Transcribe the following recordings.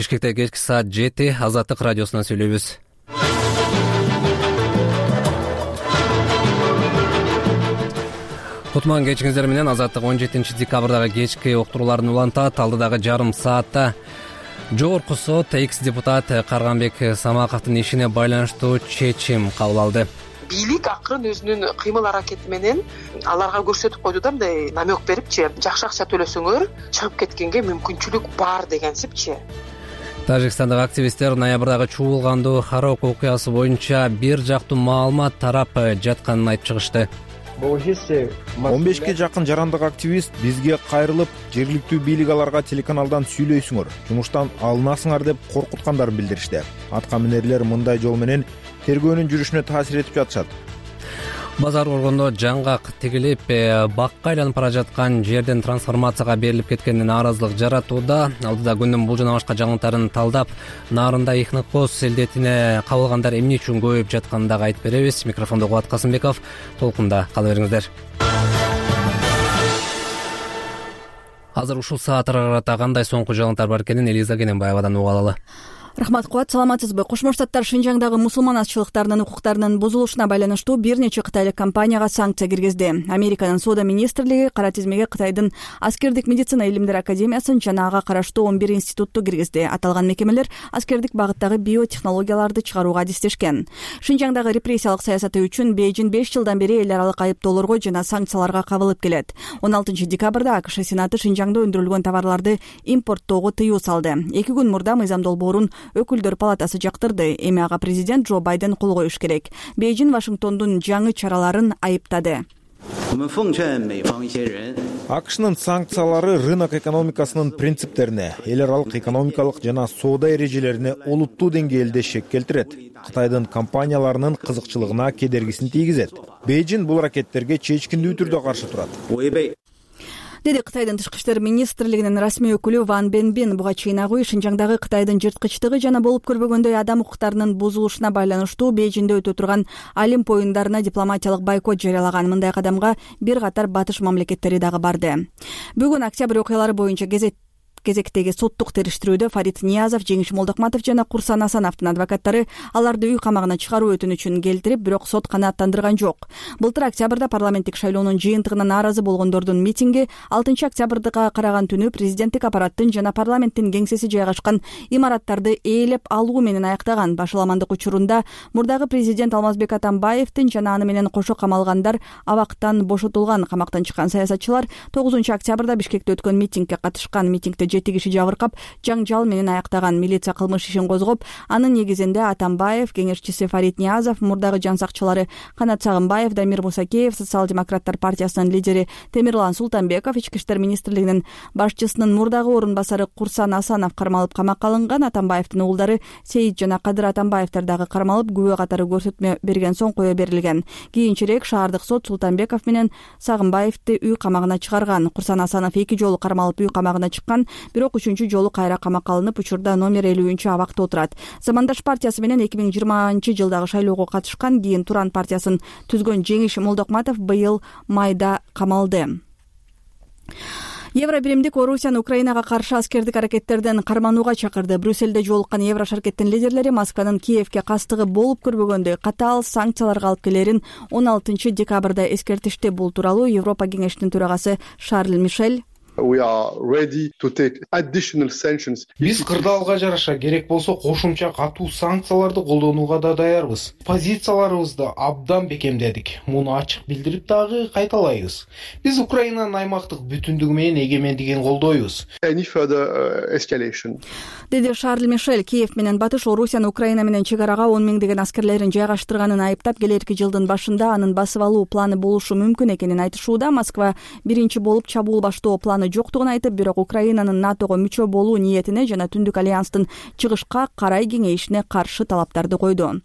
Бишкекте кечки саат 7 Азаттык радиосунан сүйлөйбүз. Кутман кечиңиздер менен. Азаттык 17 декабрдагы кечки уктурууларын улантат. Алдыдагы жарым саатта Жогорку сот экс-депутат Карганбек Самаковдун ишине байланыштуу чечим кабыл алды. Бийлик акырын өзүнүн кыймыл аракети менен аларга көрсөтүп койду да, мындай намек берипчи, жакшы акча төлөсөңөр чыгып кеткенге мүмкүнчүлүк бар дегенсипчи. Тажикстандагы активисттер ноябрдагы чуулгандуу Харок окуясы боюнча бир жактуу маалымат тарап жатканын айтып чыгышты. 15 жакын жарандык активист бизге кайрылып, жергиликтүү бийлик аларга телеканалдан сүйлөйсүңөр, жумуштан алынасыңар деп коркуткандарын билдиришти. Атка минерлер мындай жол менен тергөөнүн жүрүшүнө таасир этип жатышат. Базар Оргондо жаңгак тигилип, бакка айланып бара жаткан жерден трансформацияга берилип кеткенине нааразылык жаратууда. Алдыда күндүн бул жана башка жаңылыктарын талдап, Нарында Ихныкоз селдетине кабылгандар эмне үчүн көбөйүп жатканын дагы айтып беребиз. Микрофондо Кубат Касымбеков. Толкунда кала бериңиздер. Азыр ушул сааттарга карата кандай соңку жаңылыктар бар экенин Элиза Кененбаевадан угуп алалы. Рахмат, Кубат, саламатсызбы? Кошмо Штаттар Шинжаңдагы мусулман азчылыктарынын укуктарынын бузулушуна байланыштуу бир нече кытайлык компанияга санкция киргизди. Американын Соода министрлиги кара тизмеге Кытайдын Аскердик медицина илимдери академиясын жана ага караштуу 11 институтту киргизди. Аталган мекемелер аскердик багыттагы биотехнологияларды чыгарууга адистешкен. Шинжаңдагы репрессиялык саясаты үчүн Бейжин 5 жылдан бери эл аралык айыптоолорго жана санкцияларга кабылып келет. 16 декабрда АКШ Сенаты Шинжаңда өндүрүлгөн товарларды импорттоого тыюу салды. 2 күн мурда мыйзам долбоорун Өкүлдөр палатасы жактырды. Эми ага президент Джо Байден кол коюш керек. Бейжин Вашингтондун жаңы чараларын айыптады. АКШнын санкциялары рынок экономикасынын принциптерине, эл аралык экономикалык жана соода эрежелерине олуттуу деңгээлде шек келтирет. Кытайдын компанияларынын кызыкчылыгына кедергисин тийгизет. Бейжин бул аракеттерге чечкиндүү түрдө каршы турат, деди Кытайдын тышкы иштер министрлигинин расмий өкүлү Ван Бенбин. Буга чейин агуй Шинжаңдагы Кытайдын жырткычтыгы жана болуп көрбөгөндөй адам укуктарынын бузулушуна байланыштуу Бейжинде өтө турган Олимп оюндарына дипломатиялык бойкот жарыялаган. Мындай кадамга бир катар батыш мамлекеттери дагы барды. Бүгүн октябрь окуялары боюнча кезектеги соттук териштирүүдө Фарид Ниязов, Жеңиш Молдокматов жана Курсан Асановдун адвокаттары аларды үй камагына чыгаруу өтүнүчүн келтирип, бирок сот канааттандырган жок. Былтыр октябрда парламенттик шайлоонун жыйынтыгына нааразы болгондордун митинги 6 октябрга караган түнү президенттик аппараттын жана парламенттин кеңсеси жайгашкан имараттарды ээлеп алуу менен аяктаган. Башаламандык учурунда мурдагы президент Алмазбек Атамбаевдин жана аны менен кошо камалгандар абактан бошотулган. Камактан чыккан саясатчылар 9 октябрда Бишкекте өткөн митингге катышкан. Митингде 7 киши жабыркап, жаңжал менен аяктаган. Милиция кылмыш ишин козгоп, анын негизинде Атамбаев, кеңешчиси Фарид Ниязов, мурдагы жан сакчылары Канат Сагынбаев, Дамир Мусакеев, Социал-демократтар партиясынын лидери Темирлан Султанбеков, Ички иштер министрлигинин башчысынын мурдагы орун басары Курсан Асанов кармалып камакка алынган. Атамбаевдин уулдары Сейит жана Кадыр Атамбаевдер дагы кармалып, күбө катары көрсөтмө берген соң кое берилген. Кийинчерээк шаардык сот Султанбеков менен Сагынбаевди үй камагына чыгарган. Курсан Асанов 2 жолу кармалып үй камагына чыккан, бирок 3-чү жолу кайра камакка алынып, учурда номер 50-чү абакта отурат. Замандаш партиясы менен 2020-жылдагы шайлоого катышкан, кийин Туран партиясын түзгөн Жеңиш Молдокматов быйыл майда камалды. Евробиримдик Орусияны Украинага каршы аскердик аракеттерден карманууга чакырды. Брюссельде жолуккан Евро шаркеттин лидерлери Москванын Киевке кастыгы болуп көрбөгөндөй катаал санкцияларга алып келерин 16 декабрда эскертишти. Бул тууралуу Европа кеңешинин төрагасы Шарль Мишель Биз кырдаалга жараша керек болсо кошумча катуу санкцияларды колдонууга да даярбыз. Позицияларыбызды абдан бекемдедик. Муну ачык билдирип дагы кайталайбыз. Биз Украинанын аймактык бүтүндүгү менен эгемендигин колдойбуз. Деди Шарль Мишель. Киев менен Батыш Орусияны Украина менен чек арага 10 миңдеген аскерлерин жайгаштырганын айыптап, келерки жылдын башында анын басып алуу планы болушу мүмкүн экенин айтышууда. Москва биринчи болуп чабуул баштоо планы жоктугун айтып, бирок Украинанын НАТОго мүчө болуу ниетине жана Түндүк альянстын чыгышка карай кеңейишине каршы талаптарды койду.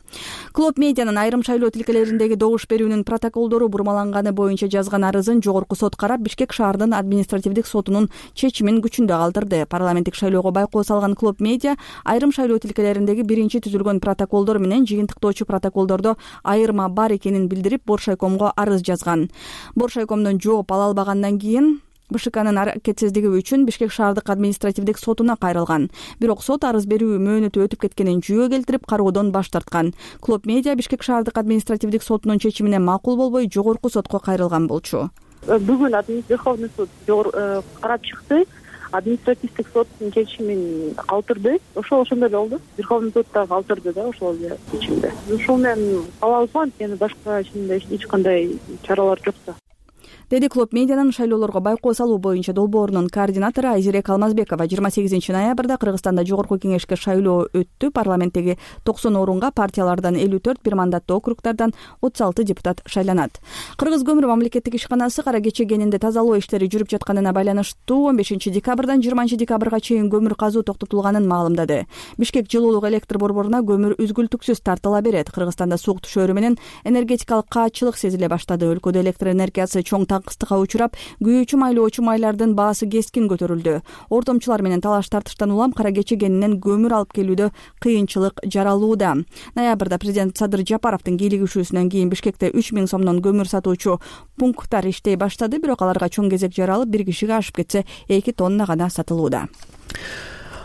Клоп медианын айрым шайлоо тилкелериндеги добуш берүүнүн протоколдору бурмаланганы боюнча жазган арызын жогорку сот карап, Бишкек шаардын административдик сотунун чечимин күчүндө калтырды. Парламенттик шайлоого байкоо салган Клоп медиа айрым шайлоо тилкелериндеги биринчи түзүлгөн протоколдор менен жыйынтыктоочу протоколдордо айырма бар экенин билдирип, Боршайкомго арыз жазган. Боршайкомдон жооп ала албагандан кийин БШКнын аракетсиздиги үчүн Бишкек шаардык административдик сотуна кайрылган. Бирок сот арыз берүү мөөнөтү өтүп кеткенин жүйө келтирип кароодон баш тарткан. Клоп Медиа Бишкек шаардык административдик сотунун чечимине макул болбой жогорку сотко кайрылган болчу. Бүгүн Верховный суд карап чыкты. Административдик соттун чечимин калтырды. Ошондой эле болду. Верховный суд да калтырды да ошол чечимди. Ушул менен калабыз го, анткени башка эч кандай чаралар жок да. Деди Клоп Медианын шайлоолорго байкоо салуу боюнча долбоорунун координатору Айзирек Алмазбекова. 28 ноябрда Кыргызстанда жогорку кеңешке шайлоо өттү. Парламенттеги 90 орунга партиялардан 54, бир мандаттуу округдардан 36 депутат шайланат. Кыргыз көмүр мамлекеттик ишканасы кара кече кенинде тазалоо иштери жүрүп жатканына байланыштуу 15 декабрдан 20 декабрга чейин көмүр казуу токтотулганын маалымдады. Бишкек жылуулук электр борборуна көмүр үзгүлтүксүз тартыла берет. Кыргызстанда суук түшөөрү менен энергетикалык каатчылык сезиле баштады. Өлкөдө электр энергиясы чоң таңкыстыкка учурап, күйүүчү майлоочу майлардын баасы кескин көтөрүлдү. Ортомчулар менен талаш тартыштан улам кара кече кенинен көмүр алып келүүдө кыйынчылык жаралууда. Ноябрда президент Садыр Жапаровдун кийлигишүүсүнөн кийин Бишкекте 3000 сомдон көмүр сатуучу пункттар иштей баштады, бирок аларга чоң кезек жаралып, бир кишиге ашып кетсе 2 тонна гана сатылууда.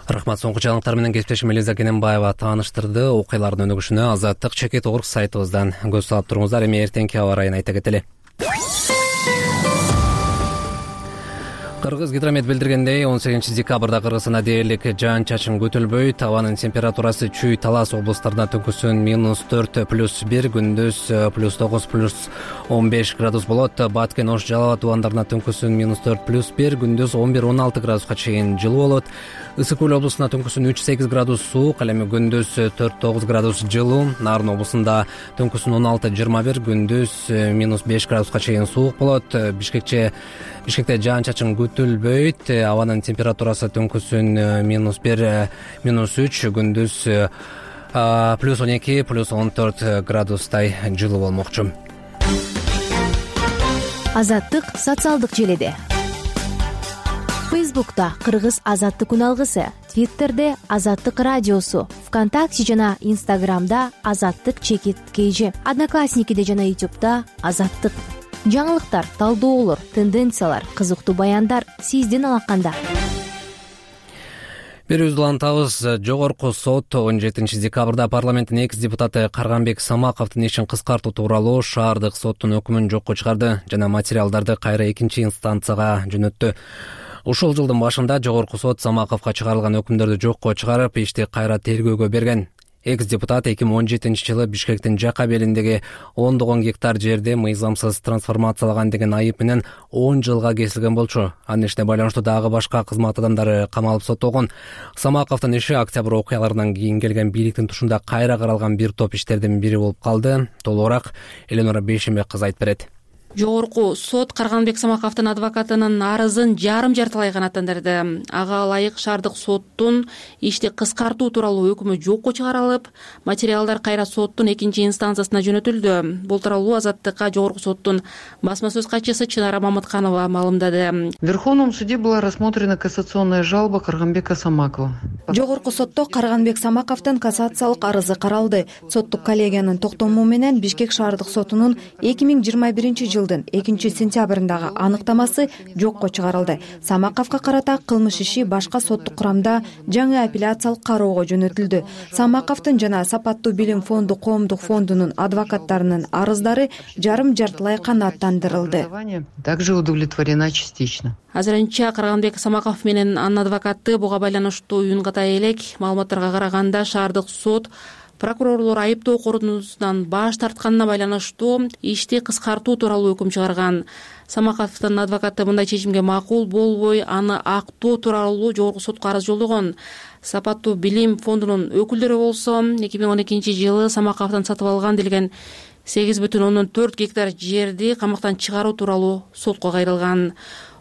Рахмат. Соңку жаңылыктар менен кесиптешим Элиза Кененбаева тааныштырды. Окуялардын өнүгүшүнө азаттык Чекит.org сайтыбыздан көз салып туруңуздар. Эми эртеңки аба ырайын айта кетели. Кыргыз гидромет билдиргендей, 18 декабрда Кыргызстанда дээрлик жаан-чачын күтүлбөйт. Абанын температурасы Чүй, Талас облустарында түнкүсүн -4 +1, күндүз +9 +15 градус болот. Баткен, Ош, Жалал абад тубандарында түнкүсүн -4 +1, күндүз 11-16 градуска чейин жылуу болот. Ысык Көл облусунда түнкүсүн 3-8 градус суук, ал эми күндүз 4-9 градус жылуу. Нарын облусунда түнкүсүн 16-21, күндүз -5 градуска чейин суук болот. Бишкекте жаан-чачын күтүлбөйт. Абанын температурасы түнкүсүн -1, -3, күндүз +12, +14 градустай жылуу болмокчу. Азаттык социалдык желеде. Фейсбукта Кыргыз азаттык күн алгысы, Твиттерде Азаттык радиосу, ВКонтакте жана Инстаграмда Азаттык Чекит КЖ, Одноклассникиде жана Ютубта Азаттык. Жаңылыктар, талдоолор, тенденциялар, кызыктуу баяндар сиздин алаканда. Берүүбүздү улантабыз. Жогорку сот 17 декабрда парламенттин экс депутаты Карганбек Самаковдун ишин кыскартуу тууралуу шаардык соттун өкүмүн жокко чыгарды жана материалдарды кайра экинчи инстанцияга жөнөттү. Ушул жылдын башында жогорку сот Самаковго чыгарылган өкүмдөрдү жокко чыгарып, ишти кайра тергөөгө берген. Экс депутат 2017 жылы Бишкектин Жака белиндеги 10 гектар жерди мыйзамсыз трансформациялаган деген айып менен 10 жылга кесилген болчу. Анын ишине байланыштуу дагы башка кызмат адамдары камалып соттолгон. Самаковдун иши октябрь окуяларынан кийин келген бийликтин тушунда кайра каралган бир топ иштердин бири болуп калды. Толугураак Эленора Бейшембек кызы айтып берет. Жогорку сот Карганбек Самаковдун адвокатынын арызын жарым-жартылай канааттандырды. Ага ылайык шаардык соттун ишти кыскартуу тууралуу өкүмү жокко чыгарылып, материалдар кайра соттун экинчи инстанциясына жөнөтүлдү. Бул тууралуу Азаттыкка жогорку соттун басма сөз катчысы Чынара Мамытканова маалымдады. В Верховном суде была рассмотрена кассационная жалоба Карганбека Самакова. Жогорку сотто Карганбек Самаковдун кассациялык арызы каралды. Соттук коллегиянын токтому менен Бишкек шаардык сотунун 2021 жылдын 2-сентябрындагы аныктамасы жокко чыгарылды. Самаковго карата кылмыш иши башка соттук курамда жаңы апелляциялык кароого жөнөтүлдү. Самаковдун жана Сапаттуу билим фонду коомдук фондунун адвокаттарынын арыздары жарым-жартылай канааттандырылды. Также удовлетворена частично. Азырынча Карганбек Самаков менен анын адвокаты буга байланыштуу уюнгатай элек. Маалыматтарга караганда шаардык сот прокурорлор айыптоо корутундусунан баш тартканына байланыштуу ишти кыскартуу тууралуу өкүм чыгарган. Самаковдун адвокаты мындай чечимге макул болбой, аны актоо тууралуу жогорку сотко арыз жолдогон. Сапаттуу билим фондунун өкүлдөрү болсо 2012 жылы Самаковдон сатып алган делген 8,4 гектар жерди камактан чыгаруу тууралуу сотко кайрылган.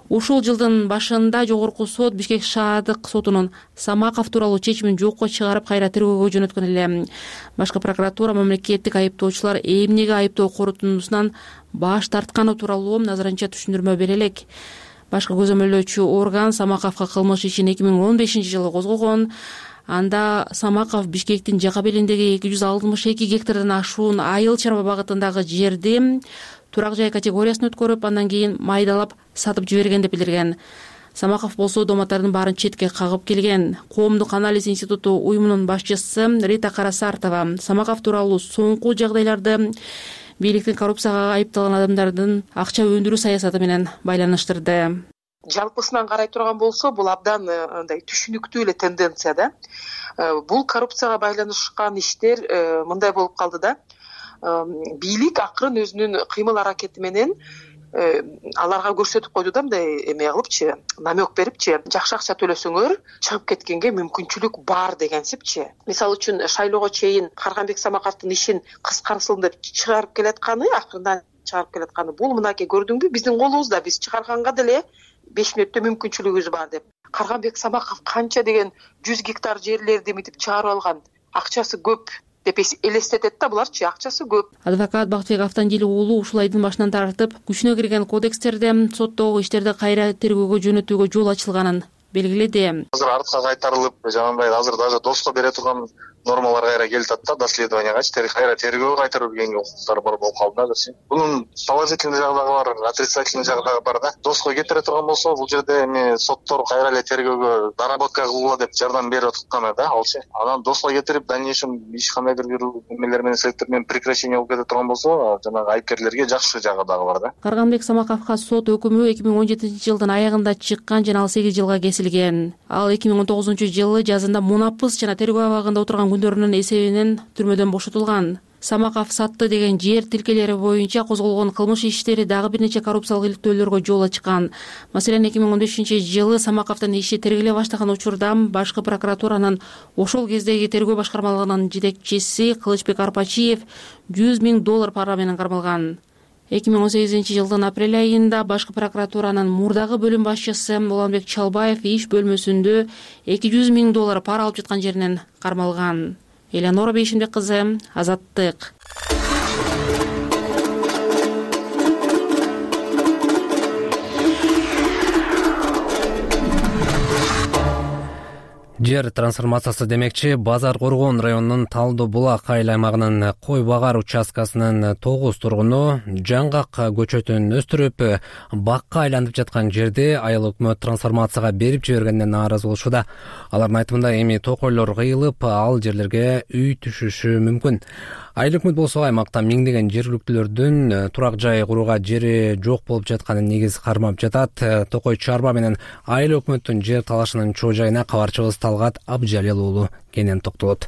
Ушул жылдын башында жогорку сот Бишкек шаардык сотунун Самаков тууралуу чечимин жокко чыгарып кайра тергөөгө жөнөткөн эле. Башкы прокуратура мамлекеттик айыптоочулар эмнеге айыптоо корутундусунан баш тартканы тууралуу азырынча түшүндүрмө бере элек. Башкы көзөмөлдөөчү орган Самаковго кылмыш ишин 2015 жылы козгогон. Анда Самаков Бишкектин Жака белиндеги 262 гектардан ашуун айыл чарба багытындагы жерди турак жай категориясын өткөрүп, андан кийин майдалап сатып жиберген деп билдирген. Самаков болсо дооматтардын баарын четке кагып келген. Коомдук анализ институту уюмунун башчысы Рита Карасартова Самаков тууралуу соңку жагдайларды бийликтин коррупцияга айыпталган адамдардын акча өндүрүү саясаты менен байланыштырды. Жалпысынан карай турган болсо, бул абдан андай түшүнүктүү эле тенденция да. Бул коррупцияга байланышкан иштер мындай болуп калды да. Бийлик акырын өзүнүн кыймыл аракети менен аларга көрсөтүп койду да, мындай эме кылыпчы, намек берипчи, жакшы акча төлөсөңөр чыгып кеткенге мүмкүнчүлүк бар дегенсипчи. Мисалы үчүн шайлоого чейин Карганбек Самаковдун ишин кыскарсын деп чыгарып келатканы, акырындан чыгарып келатканы, бул мынакей көрдүңбү, биздин колубузда, биз чыгарганга деле 5 мүнөттө мүмкүнчүлүгүбүз бар деп. Карганбек Самаков канча деген 100 гектар жерлерди мынтип чыгарып алган, акчасы көп деп элестетет да, буларчы акчасы көп. Адвокат Бактыбек Автандили уулу ушул айдын башынан тартып күчүнө кирген кодекстерде соттогу иштерди кайра тергөөгө жөнөтүүгө жол ачылганын белгиледи. Азыр артка кайтарылып, жанагындай азыр даже доско бере турган нормалар кайра келип атат да, доследованиягачы кайра тергөөгө кайтарып келгенге укуктар бар болуп калды азырчы. Бунун положительный жагдагы бар, отрицательный жагдагы бар да. Доско кетире турган болсо, бул жерде эми соттор кайра эле тергөөгө доработка кылгыла деп жардам берип атканы да, алчы. Анан доско кетирип, дальнейшем иш кандайдыр бир эмелер менен себептер менен прекращение болуп кете турган болсо, жанагы айыпкерлерге жакшы жагы дагы бар да. Карганбек Самаковго сот өкүмү 2017-жылдын аягында чыккан жана ал 8 жылга кесилген. Ал 2019-жылы жазында мунапыс жана тергөө абагында отурган күндөрүнүн эсебинен түрмөдөн бошотулган. Самаков сатты деген жер тилкелери боюнча козголгон кылмыш иштери дагы бир нече коррупциялык иликтөөлөргө жол ачкан. Маселен, 2015-жылы Самаковдун иши тергеле баштаган учурда башкы прокуратуранын ошол кездеги тергөө башкармалыгынын жетекчиси Кылычбек Арпачиев $100,000 пара менен кармалган. 2018-жылдын апрель айында башкы прокуратуранын мурдагы бөлүм башчысы Уланбек Чалбаев иш бөлмөсүндө $200,000 пара алып жаткан жеринен кармалган. Элеонора Бейшимбек кызы, Азаттык. Жер трансформациясы демекчи, Базар Коргон районунун Талдуу Булак айыл аймагынын Кой Багар участкасынын 9 тургуну жаңгак көчөтүн өстүрүп, бакка айланып жаткан жерди айыл өкмөт трансформацияга берип жибергенинен нааразы болушууда. Алардын айтымында эми токойлор кыйылып, ал жерлерге үй түшүшү мүмкүн. Айыл өкмөт болсо аймакта миңдеген жергиликтүүлөрдүн турак жай курууга жери жок болуп жатканын негиз кармап жатат. Токой чарба менен айыл өкмөттүн жер талашынын чоо жайына кабарчыбыз Талгат Абжалил уулу кенен токтолот.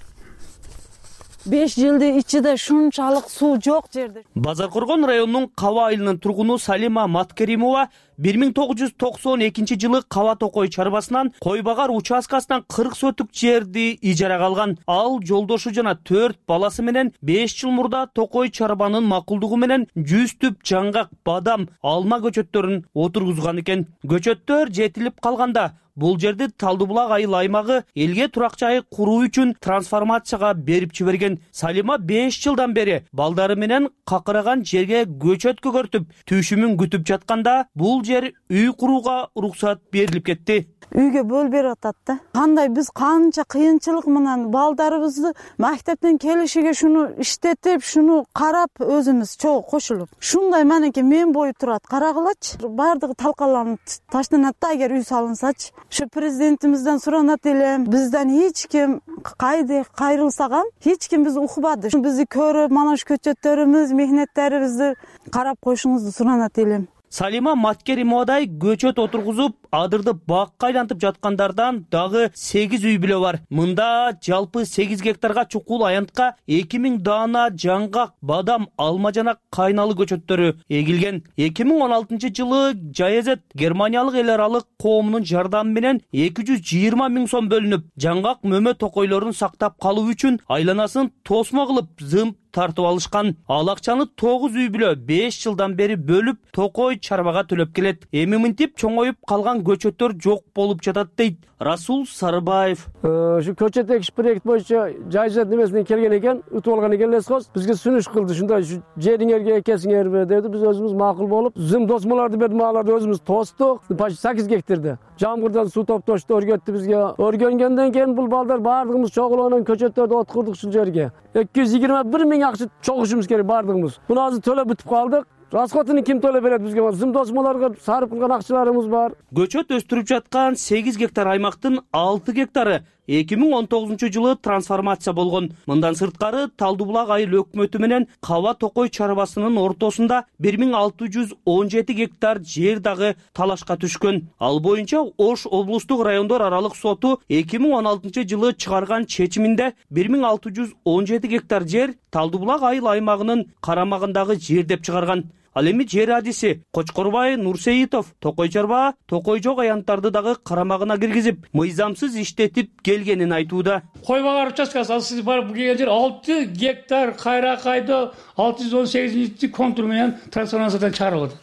5 жылдын ичинде шунчалык суу жок жерде. Базар Коргон районунун Каба айылынын тургуну Салима Маткеримова 1992-жылы Каба Токой чарбасынан Кой Багар участкасынан 40 сотук жерди ижарага алган. Ал жолдошу жана 4 баласы менен 5 жыл мурда Токой чарбанын макулдугу менен 100 түп жаңгак, бадам, алма көчөттөрүн отургузган экен. Көчөттөр жетилип калганда бул жерди Талдуу Булак айыл аймагы элге турак жай куруу үчүн трансформацияга берип жиберген. Салима 5 жылдан бери балдары менен какыраган жерге көчөт көгөртүп, түшүмүн күтүп жатканда бул жер үй курууга уруксат берилип кетти. Үйгө бөл берип атат да. Кандай биз канча кыйынчылык менен балдарыбызды мектептен келишиге шуну иштетип, шуну карап өзүбүз чогуу кошулуп. Шундай манеке мен бою турат, карагылачы. Бардыгы талкаланып таштанат да, эгер үй салынсачы. Şu президентимизден суранат элем, бизден эч ким кайрылсагам, эч ким бизди укпады. Бизди көрүп, мана ушу көчөттөрүбүз, мехнеттерибизди карап коюшуңузду суранат элем. Салима Маткеримовадай көчөт отургузуп, адырды бакка айлантып жаткандардан дагы 8 үй бүлө бар. Мында жалпы 8 гектарга чукул аянтка 2000 даана жаңгак, бадам, алма жана кайналы көчөттөрү эгилген. 2016-жылы Жаезет Германиялык эл аралык коомунун жардамы менен 220 000 сом бөлүнүп, жаңгак мөмө токойлорун сактап калуу үчүн айланасын тосмо кылып зымп тартып алышкан. Ал акчаны 9 үй бүлө 5 жылдан бери бөлүп, Токой чарбага төлөп келет. Эми мынтип чоңоюп калган көчөттөр жок болуп жатат дейт Расул Сарыбаев. Şu көчөт экиш проект боюнча Жайжат немесинен келген экен, утуп алган экен лесхоз. Бизге сүнүш кылды, ушундай жериңерге экесиңерби деди. Биз өзүбүз макул болуп, зым досмолорду бердим, аларды өзүбүз тостук. Почти 8 гектарда. Жамгырдан суу топтошту, өргөттү бизге. Өргөнгөндөн кийин бул балдар бардыгыбыз чогулонун көчөттөрдү откурдук ушул жерге. 221 000 акча чогушубуз керек бардыгыбыз. Буну азыр төлөп бүтүп калдык. расходун ким төлөп берет бизге? Зым досмолорго сарып кылган акчаларыбыз бар. Көчөт өстүрүп жаткан 8 гектар аймактын 6 гектары 2019-жылы трансформация болгон. Мындан сырткары Талдуу Булак айыл өкмөтү менен Каба Токой чарбасынын ортосунда 1617 гектар жер дагы талашка түшкөн. Ал боюнча Ош облустук райондор аралык соту 2016-жылы чыгарган чечиминде 1617 гектар жер Талдуу Булак айыл аймагынын карамагындагы жер деп чыгарган. Ал эми жер адиси Кочкорбай Нурсейитов Токой чарба, Токой жок аянттарды дагы карамагына киргизип, мыйзамсыз иштетип келгенин айтууда. Кой багар участкасы ал сиз барып келген жер 6 гектар кайракайда 618 контур менен трансформациядан чыгарылды.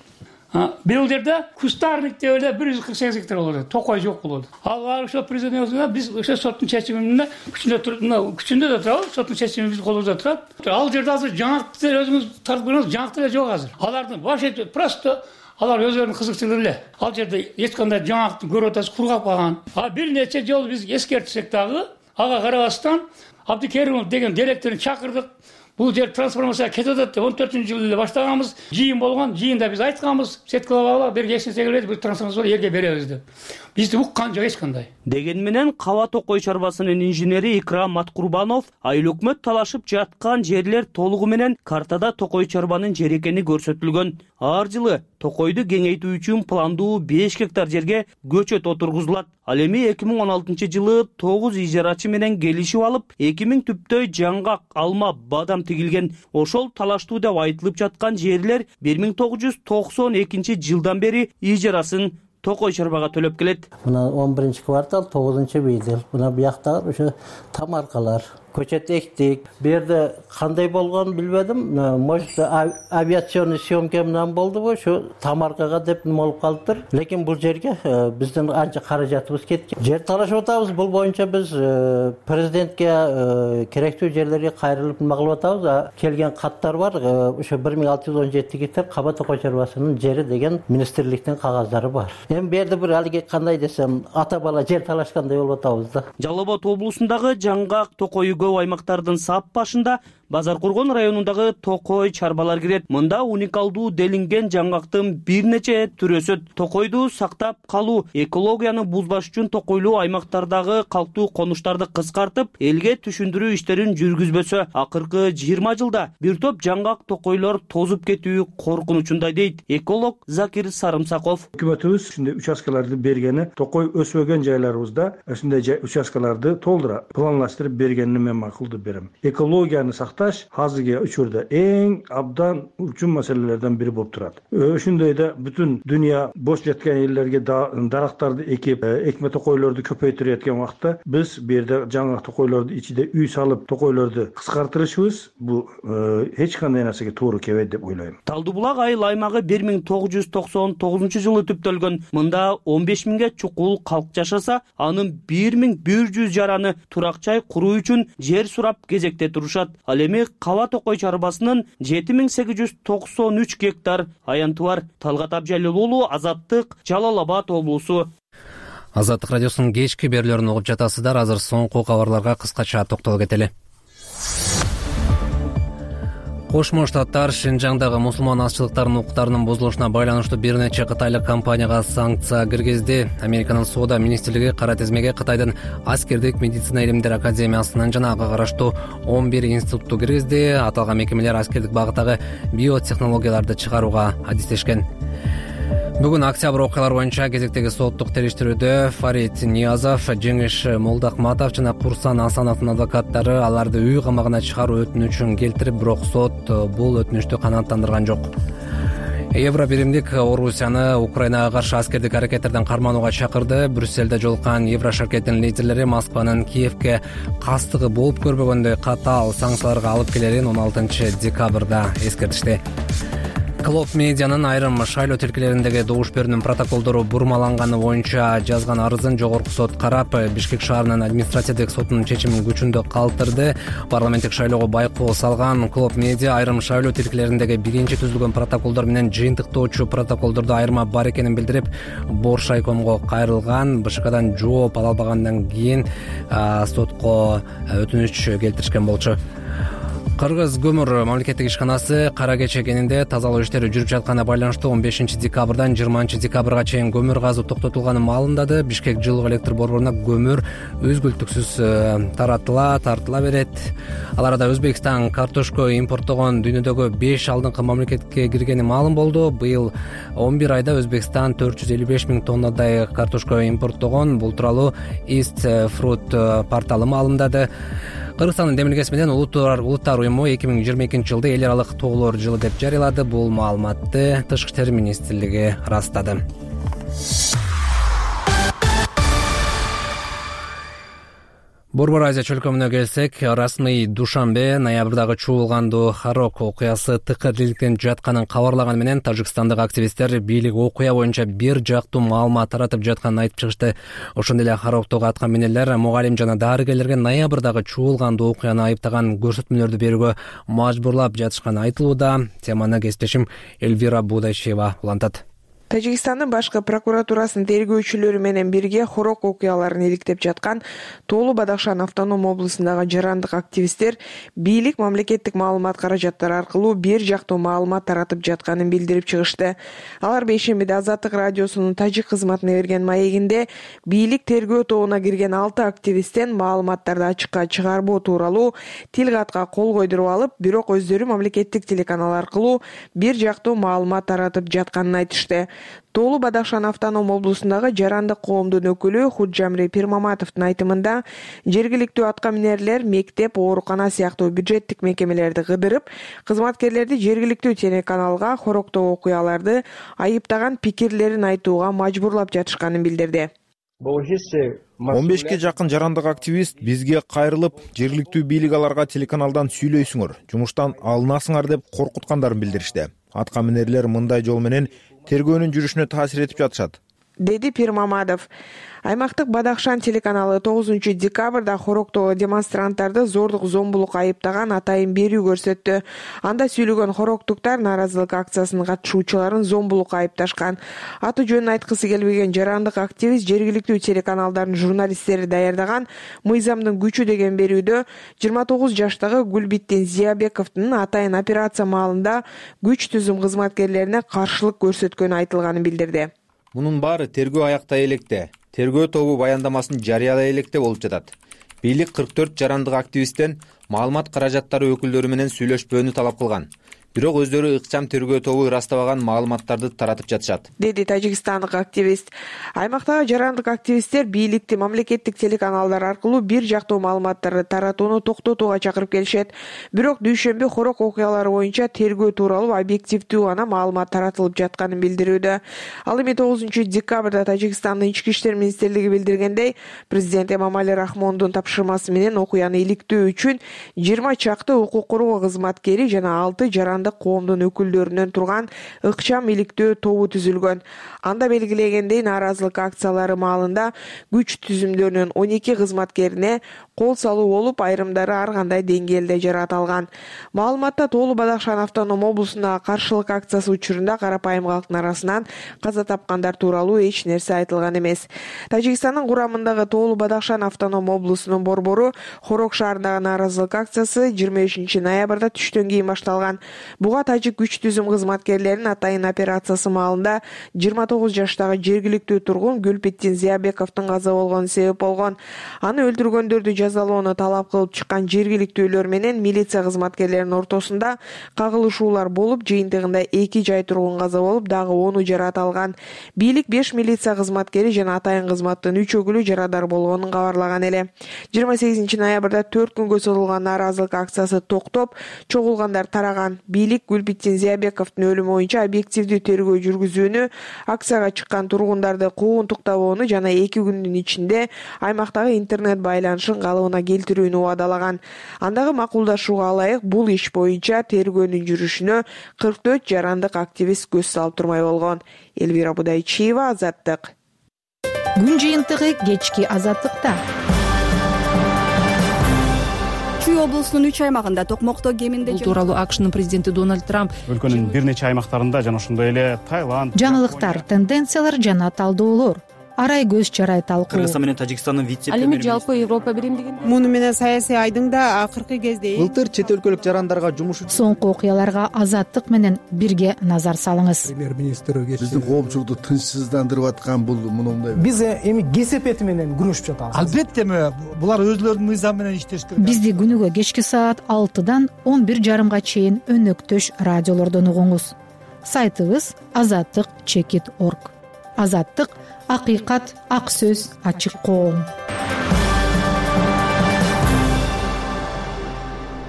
Бул жерде кустарник деп 148 гектар болот. Токой жок болот. Ал ошо президенттин биз ошо соттун чечимине күчүндө да турат, соттун чечими биз колубузда турат. Ал жерде азыр жаңактар өзүңүз тартып көрүңүз, жаңактар жок азыр. Алардын вообще просто алар өздөрүнүн кызыкчылыгы эле. Ал жерде эч кандай жаңакты көрүп атасыз, кургап калган. Бир нече жолу биз эскертсек дагы, ага карабастан Абдикеримов деген директорун чакырдык. Бул жер трансформация кетип атат деп 14-жылы эле баштаганбыз. Жыйын болгон, жыйында биз айтканбыз, сеткалап бир кесине келет, бул трансформация элге беребиз деп. Бизди уккан жок эч кандай. Деген менен Каба Токой чарбасынын инженери Икрам Маткурбанов айыл өкмөт талашып жаткан жерлер толугу менен картада Токой чарбанын жери экени көрсөтүлгөн. Ар жылы Токойду кеңейтүү үчүн пландуу 5 гектар жерге көчөт отургузулат. Ал эми 2016-жылы 9 ижарачы менен келишип алып, 2000 түптөй жаңгак, алма, бадам тигилген. Ошол талаштуу деп айтылып жаткан жерлер 1992-жылдан бери ижарасын Токой чарбага төлөп келет. Мына 11-квартал, 9-бийдил. Мына буяктагы ошо тамаркалар, көчөт эктик. Бу жерде кандай болгонун билбедим. Может, авиационный съемка менен болдубу, ошо тамаркага деп нема болуп калыптыр. Лекин бул жерге биздин анча каражатыбыз кеткен. Жер талашып атабыз. Бул боюнча биз президентке керектүү жерлерге кайрылып нема кылып атабыз. Келген каттар бар. Ошо 1617 гектар Каба Токой чарбасынын жери деген министрликтин кагаздары бар. Эми бу жерде бир алиги кандай десем, ата бала жер талашкандай болуп атабыз да. Жалал Абад облусундагы жаңгак, Токой көп аймактардын сап башында Базар Коргон районундагы Токой чарбалар кирет. Мында уникалдуу делинген жаңгактын бир нече түрү өсөт. Токойду сактап калуу, экологияны бузбаш үчүн Токойлуу аймактардагы калктуу конуштарды кыскартып, элге түшүндүрүү иштерин жүргүзбөсө, акыркы 20 жылда бир топ жаңгак токойлор тозуп кетүү коркунучундай дейт эколог Закир Сарымсаков. Өкмөтүбүз ушундай участкаларды бергени, Токой өсбөгөн жайларыбызда ушундай участкаларды толтура планлаштырып бергенин мен макулдук берем. Экологияны азыркы учурда эң абдан үчүн маселелерден бири болуп турат. Ошондойда бүтүн дүйнө бош жаткан элдерге дарактарды экип, экме токойлорду көпөйтүрүп аткан убакта биз бу жерде жаңа токойлорду ичиде үй салып, токойлорду кыскартырышыбыз бул эч кандай нерсеге туура келбейт деп ойлойм. Талдуу Булак айыл аймагы 1999-жылы түптөлгөн. Мында 15 миңге чукул калк жашаса, анын 1100 жараны турак жай куруу үчүн жер сурап кезекте турушат. Ал эми Каба Токой чарбасынын 7893 гектар аянты бар. Талгат Абжалил уулу, Азаттык, Жалал Абад облусу. Азаттык радиосунун кечки берүүлөрүн угуп жатасыздар. Азыр соңку кабарларга кыскача токтолуп кетели. Кошмо Штаттар Шинжаңдагы мусулман азчылыктарынын укуктарынын бузулушуна байланыштуу бир нече кытайлык компанияга санкция киргизди. Американын соода министрлиги кара тизмеге Кытайдын аскердик медицина илимдери академиясынан жана ага караштуу 11 институтту киргизди. Аталган мекемелер аскердик багыттагы биотехнологияларды чыгарууга адистешкен. Бүгүн октябрь окуялары боюнча кезектеги соттук териштирүүдө Фарид Ниязов, Жеңиш Молдахматов жана Курсан Асановдун адвокаттары аларды үй камагына чыгаруу өтүнүчүн келтирип, бирок сот бул өтүнүчтү канааттандырган жок. Евро биримдик Орусияны Украинага каршы аскердик аракеттерден карманууга чакырды. Брюссельде жолуккан Евро шаркеттин лидерлери Москванын Киевке кастыгы болуп көрбөгөндөй катаал санкцияларга алып келерин 16 декабрда эскертишти. Клоп медианын айрым шайлоо тилкелериндеги добуш берүүнүн протоколдору бурмаланганы боюнча жазган арызын жогорку сот карап, Бишкек шаарынын административдик сотунун чечимин күчүндө калтырды. Парламенттик шайлоого байкоо салган Клоп медиа айрым шайлоо тилкелериндеги биринчи түзүлгөн протоколдор менен жыйынтыктоочу протоколдордо айырма бар экенин билдирип, Боршайкомго кайрылган. БШКдан жооп ала албагандан кийин сотко өтүнүч келтиришкен болчу. Кыргыз көмүр мамлекеттик ишканасы Кара Кече кенинде тазалоо иштери жүрүп жатканына байланыштуу 15 декабрдан 20 декабрга чейин көмүр казуу токтотулганын маалымдады. Бишкек жылуу электр борборуна көмүр үзгүлтүксүз тартыла берет. Ал арада Өзбекстан картошка импорттогон дүйнөдөгү 5 алдыңкы мамлекетке киргени маалым болду. Быйыл 11 айда Өзбекстан 455 000 тоннадай картошка импорттогон. Бул тууралуу East Fruit порталы маалымдады. Кыргызстандын демилгеси менен Улуттар уюму 2022 жылды эл аралык тоолор жылы деп жарыялады. Бул маалыматты Тышкы иштер министрлиги ырастады. Борбор Азия чөлкөмүнө келсек, расмий Душанбе ноябрдагы чуулгандуу Харок окуясы тыкыр-диликтенип жатканын кабарлаганы менен тажикстандык активисттер бийлик окуя боюнча бир жактуу маалымат таратып жатканын айтып чыгышты. Ошондой эле Хароктогу атка минерлер мугалим жана дарыгерлерге ноябрдагы чуулгандуу окуяны айыптаган көрсөтмөлөрдү берүүгө мажбурлап жатышканы айтылууда. Теманы кесиптешим Эльвира Будайчева улантат. Тажикстандын башкы прокуратурасынын тергөөчүлөрү менен бирге Хорок окуяларын иликтеп жаткан Тоолу Бадахшан автоном облусундагы жарандык активисттер бийлик мамлекеттик маалымат каражаттары аркылуу бир жактуу маалымат таратып жатканын билдирип чыгышты. Алар бейшембиде Азаттык радиосунун тажик кызматына берген маегинде бийлик тергөө тобуна кирген 6 активисттен маалыматтарды ачыкка чыгарбоо тууралуу тил катка кол койдуруп алып, бирок өздөрү мамлекеттик телеканал аркылуу бир жактуу маалымат таратып жатканын айтышты. Тоолу Бадахшан автоном облусундагы жарандык коомдун өкүлү Худжамри Пирмаматовдун айтымында жергиликтүү атка минерлер мектеп, оорукана сыяктуу бюджеттик мекемелерди кыдырып, кызматкерлерди жергиликтүү телеканалга Хороктогу окуяларды айыптаган пикирлерин айтууга мажбурлап жатышканын билдирди. 15 жакын жарандык активист бизге кайрылып, жергиликтүү бийлик аларга телеканалдан сүйлөйсүңөр, жумуштан алынасыңар деп коркуткандарын билдиришти. Атка минерлер мындай жол менен тергөөнүн жүрүшүнө таасир этип жатышат, деди Пирмаматов. Аймактык Бадахшан телеканалы 9 декабрда Хороктогу демонстранттарды зордук зомбулук айыптаган атайын берүү көрсөттү. Анда сүйлөгөн хороктуктар нааразылык акциясынын катышуучуларын зомбулукка айыпташкан. Аты жөнүн айткысы келбеген жарандык активист жергиликтүү телеканалдардын журналисттери даярдаган «Мыйзамдын күчү» деген берүүдө 29 жаштагы Гүлбиттин Зиябековдун атайын операция маалында күч түзүм кызматкерлерине каршылык көрсөткөнү айтылганын билдирди. Мунун баары тергөө аяктай электе. Тергөө тобу баяндамасын жарыядай электе болуп жатат. Бийлик 44 жарандык активисттен маалымат каражаттары өкүлдөрү менен сүйлөшпөөнү талап кылган. Бирок өздөрү ыкчам тергөө тобу ырастабаган маалыматтарды таратып жатышат, деди тажикстандык активист. Аймактагы жарандык активисттер бийликти мамлекеттик телеканалдар аркылуу бир жактуу маалыматтарды таратууну токтотууга чакырып келишет. Бирок дүйшөмбү Хорок окуялары боюнча тергөө тууралуу объективдүү гана маалымат таратылып жатканын билдирүүдө. Ал эми 9 декабрда Тажикстандын ички иштер министрлиги билдиргендей, президент Эмомали Рахмондун тапшырмасы менен окуяны иликтөө үчүн 20 чакты укук коргоо кызматкери жана 6 жарандык коомдун өкүлдөрүнөн турган ыкчам иликтөө тобу түзүлгөн. Анда белгилегендей, нааразылык акциялары маалында күч түзүмдөрүнүн 12 кызматкерине кол салуу болуп, айрымдары ар кандай деңгээлде жаратылган. Маалыматта Тоолу Бадахшан автоном облусундагы каршылык акциясы учурунда карапайым калктын арасынан каза тапкандар тууралуу эч нерсе айтылган эмес. Тажикстандын курамындагы Тоолу Бадахшан автоном облусунун борбору Хорок шаарындагы нааразылык акциясы 25 ноябрда түштөн кийин башталган. Буга тажик күч түзүм кызматкерлеринин атайын операциясы маалында 29 жаштагы жергиликтүү тургун Гүлбиттин Зиябековдун каза болгону себеп болгон. Аны өлтүргөндөрдү жазалоону талап кылып чыккан жергиликтүүлөр менен милиция кызматкерлеринин ортосунда кагылышуулар болуп, жыйынтыгында 2 жай тургун каза болуп, дагы 10 жарат алган. Бийлик 5 милиция кызматкери жана атайын кызматтын 3 өкүлү жарадар болгонун кабарлаган эле. 28 ноябрда 4 күнгө созулган нааразылык акциясы токтоп, чогулгандар тараган. Бийлик Гүлбиттин Зиябековдун өлүмү боюнча объективдүү тергөө жүргүзүүнү, акцияга чыккан тургундарды куугунтуктабоону жана 2 күндүн ичинде аймактагы интернет байланышын калыбына келтирүүнү убадалаган. Андагы макулдашууга ылайык бул иш боюнча тергөөнүн жүрүшүнө 44 жарандык активист көз салып турмай болгон. Эльвира Будайчиева, Азаттык. Күн жыйынтыгы кечки Азаттыкта. Чүй облусунун 3 аймагында токмокто кеминде бул тууралуу АКШнын президенти Дональд Трамп өлкөнүн бир нече аймактарында жана ошондой эле Таиланд. Жаңылыктар, тенденциялар жана талдоолор. арай көз чарай талкуу. Кыргызстан менен Тажикстандын вице ал эми жалпы Европа биримдигин муну менен саясий айдыңда акыркы кезде былтыр чет өлкөлүк жарандарга жумуш соңку окуяларга Азаттык менен бирге назар салыңыз. Премьер-министр биздин коомчулукту тынчсыздандырып аткан бул мындай. Биз эми кесепети менен күрөшүп жатабыз. Албетте булар өзлөрүнүн мыйзамы менен иштеш керек. Бизди күнүгө кечки саат 6-дан 11:30 чейин өнөктөш радиолордон угуңуз. Сайтыбыз azattik.org. Азаттык — акыйкат, ак сөз, ачык коом.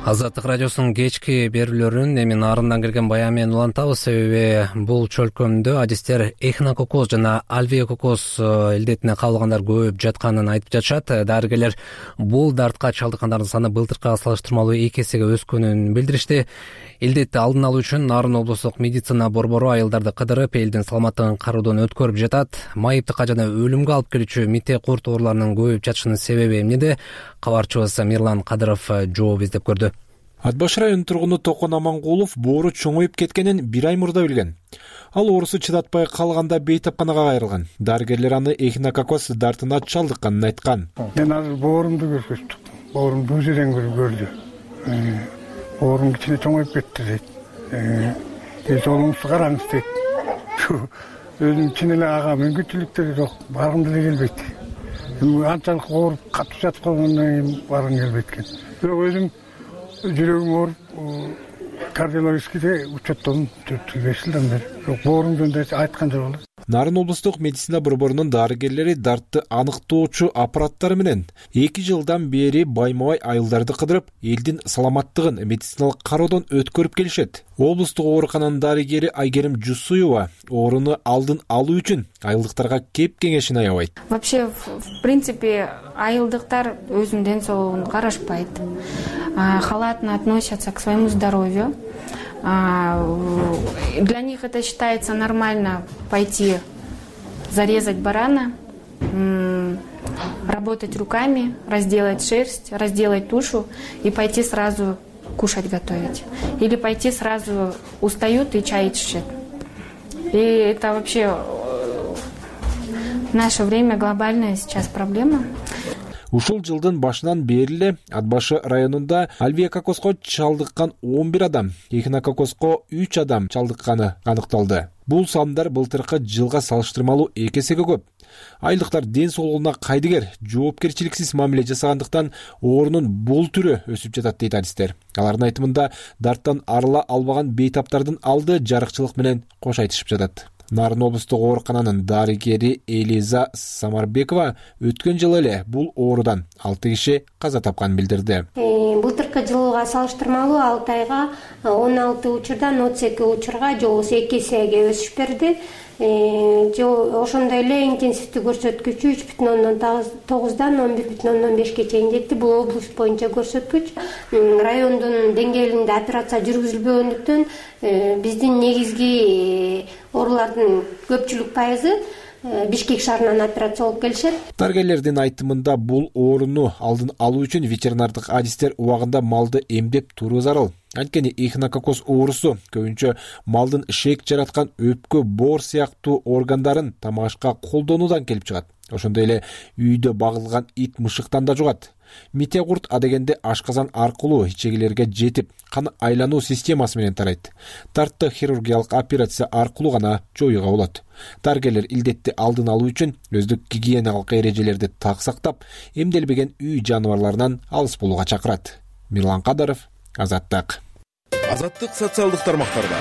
Азаттык радиосунун кечки берүүлөрүн эми нарындан келген баян менен улантабыз. Себеби бул чөлкөмдө адистер эхинококоз жана альвеококоз илдетине кабылгандар көп жатканын айтып жатышат. Дарыгерлер бул дартка чалдыккандардын саны былтыркыга салыштырмалуу 2 эсеге өскөнүн билдиришти. Илдетти алдын алуу үчүн Нарын облустук медицина борбору айылдарды кыдырып, элдин саламаттыгын кароодон өткөрүп жатат. Майыптыкка жана өлүмгө алып келүүчү мите курт ооруларынын көбөйүп жатышынын себеби эмнеде? Кабарчыбыз Мирлан Кадыров жооп издеп көрдү. Ат баш районунун тургуну Токон Амангулов боору чоңоюп кеткенин 1 ай мурда билген. Ал оорусу чыдатпай калганда бейтапканага кайрылган. Дарыгерлер аны эхинококоз дартына чалдыкканын айткан. Мен азыр боорумду көрсөттүм. Боорум бул жерден көрдү. Боорум кичине чоңоюп кетти дейт. Жолуңузду караңыз дейт. Өзүм чын эле ага мүмкүнчүлүктөрү жок, баргым деле келбейт. Анчалык ооруп катып жатып калгандан кийин баргым келбейт экен. Бирок өзүм жүрөгүм ооруп, кардиологическийде учеттодум 4-5 жылдан бери. Бирок боорум жөнүндө айткан жок эле. Нарын облустук медицина борборунун дарыгерлери дартты аныктоочу аппараттары менен 2 жылдан бери байма-бай айылдарды кыдырып, элдин саламаттыгын медициналык кароодон өткөрүп келишет. Облустук оорукананын дарыгери Айгерим Жусуева ооруну алдын алуу үчүн айылдыктарга кеп кеңешин аябайт. Вообще, в принципе, айылдыктар өзүнүн ден соолугун карашпайт. Халатно относятся к своему здоровью. Для них это считается нормально пойти зарезать барана, работать руками, разделать шерсть, разделать тушу и пойти сразу кушать готовить. Или пойти сразу устают и чай чишет. И это вообще в наше время глобальная сейчас проблема. Ушул жылдын башынан бери эле Ат башы районунда альвеококозго чалдыккан 11 адам, эхинококозго 3 адам чалдыкканы аныкталды. Бул сандар былтыркы жылга салыштырмалуу 2 эсеге көп. Айылдыктар ден соолугуна кайдыгер, жоопкерчиликсиз мамиле жасагандыктан оорунун бул түрү өсүп жатат дейт адистер. Алардын айтымында дарттан арыла албаган бейтаптардын алды жарыкчылык менен кош айтышып жатат. Нарын облустук оорукананын дарыгери Элиза Самарбекова өткөн жылы эле бул оорудан 6 киши каза тапканын билдирди. Былтыркы жылга салыштырмалуу 6 айга 16 учурдан 32 учурга же болбосо 2 эсеге өсүш берди. Ошондой эле интенсивдүү көрсөткүчү 3,9дан 11,5ке чейин жетти. Бул область боюнча көрсөткүч. Райондун деңгээлинде операция жүргүзүлбөгөндүктөн биздин негизги оорулардын көпчүлүк пайызы Бишкек шаарынан операция болуп келишет. Дарыгерлердин айтымында бул ооруну алдын алуу үчүн ветеринардык адистер убагында малды эмдеп туруу зарыл. Анткени эхинококоз оорусу көбүнчө малдын шек жараткан өпкө, боор сыяктуу органдарын тамашка колдонуудан келип чыгат. Ошондой эле үйдө багылган ит мышыктан да жугат. Мите курт адегенде ашказан аркылуу ичегилерге жетип, кан айлануу системасы менен тарайт. Дартты хирургиялык операция аркылуу гана жоюуга болот. Дарыгерлер илдетти алдын алуу үчүн өздүк гигиеналык эрежелерди так сактап, эмделбеген үй жаныбарларынан алыс болууга чакырат. Мирлан Кадыров, Азаттык. Азаттык социалдык тармактарда.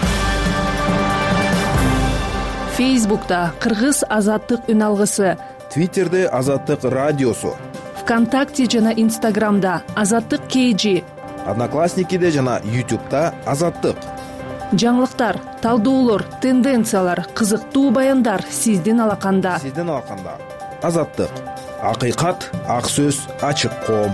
Фейсбукта Кыргыз Азаттык үн алгысы, Твиттерде Азаттык радиосу, ВКонтакте жана Инстаграмда Азаттык KG, Одноклассникиде жана YouTube'да Азаттык. Жаңылыктар, талдоолор, тенденциялар, кызыктуу баяндар сиздин алаканда. Азаттык. Акыйкат, ак сөз, ачык коом.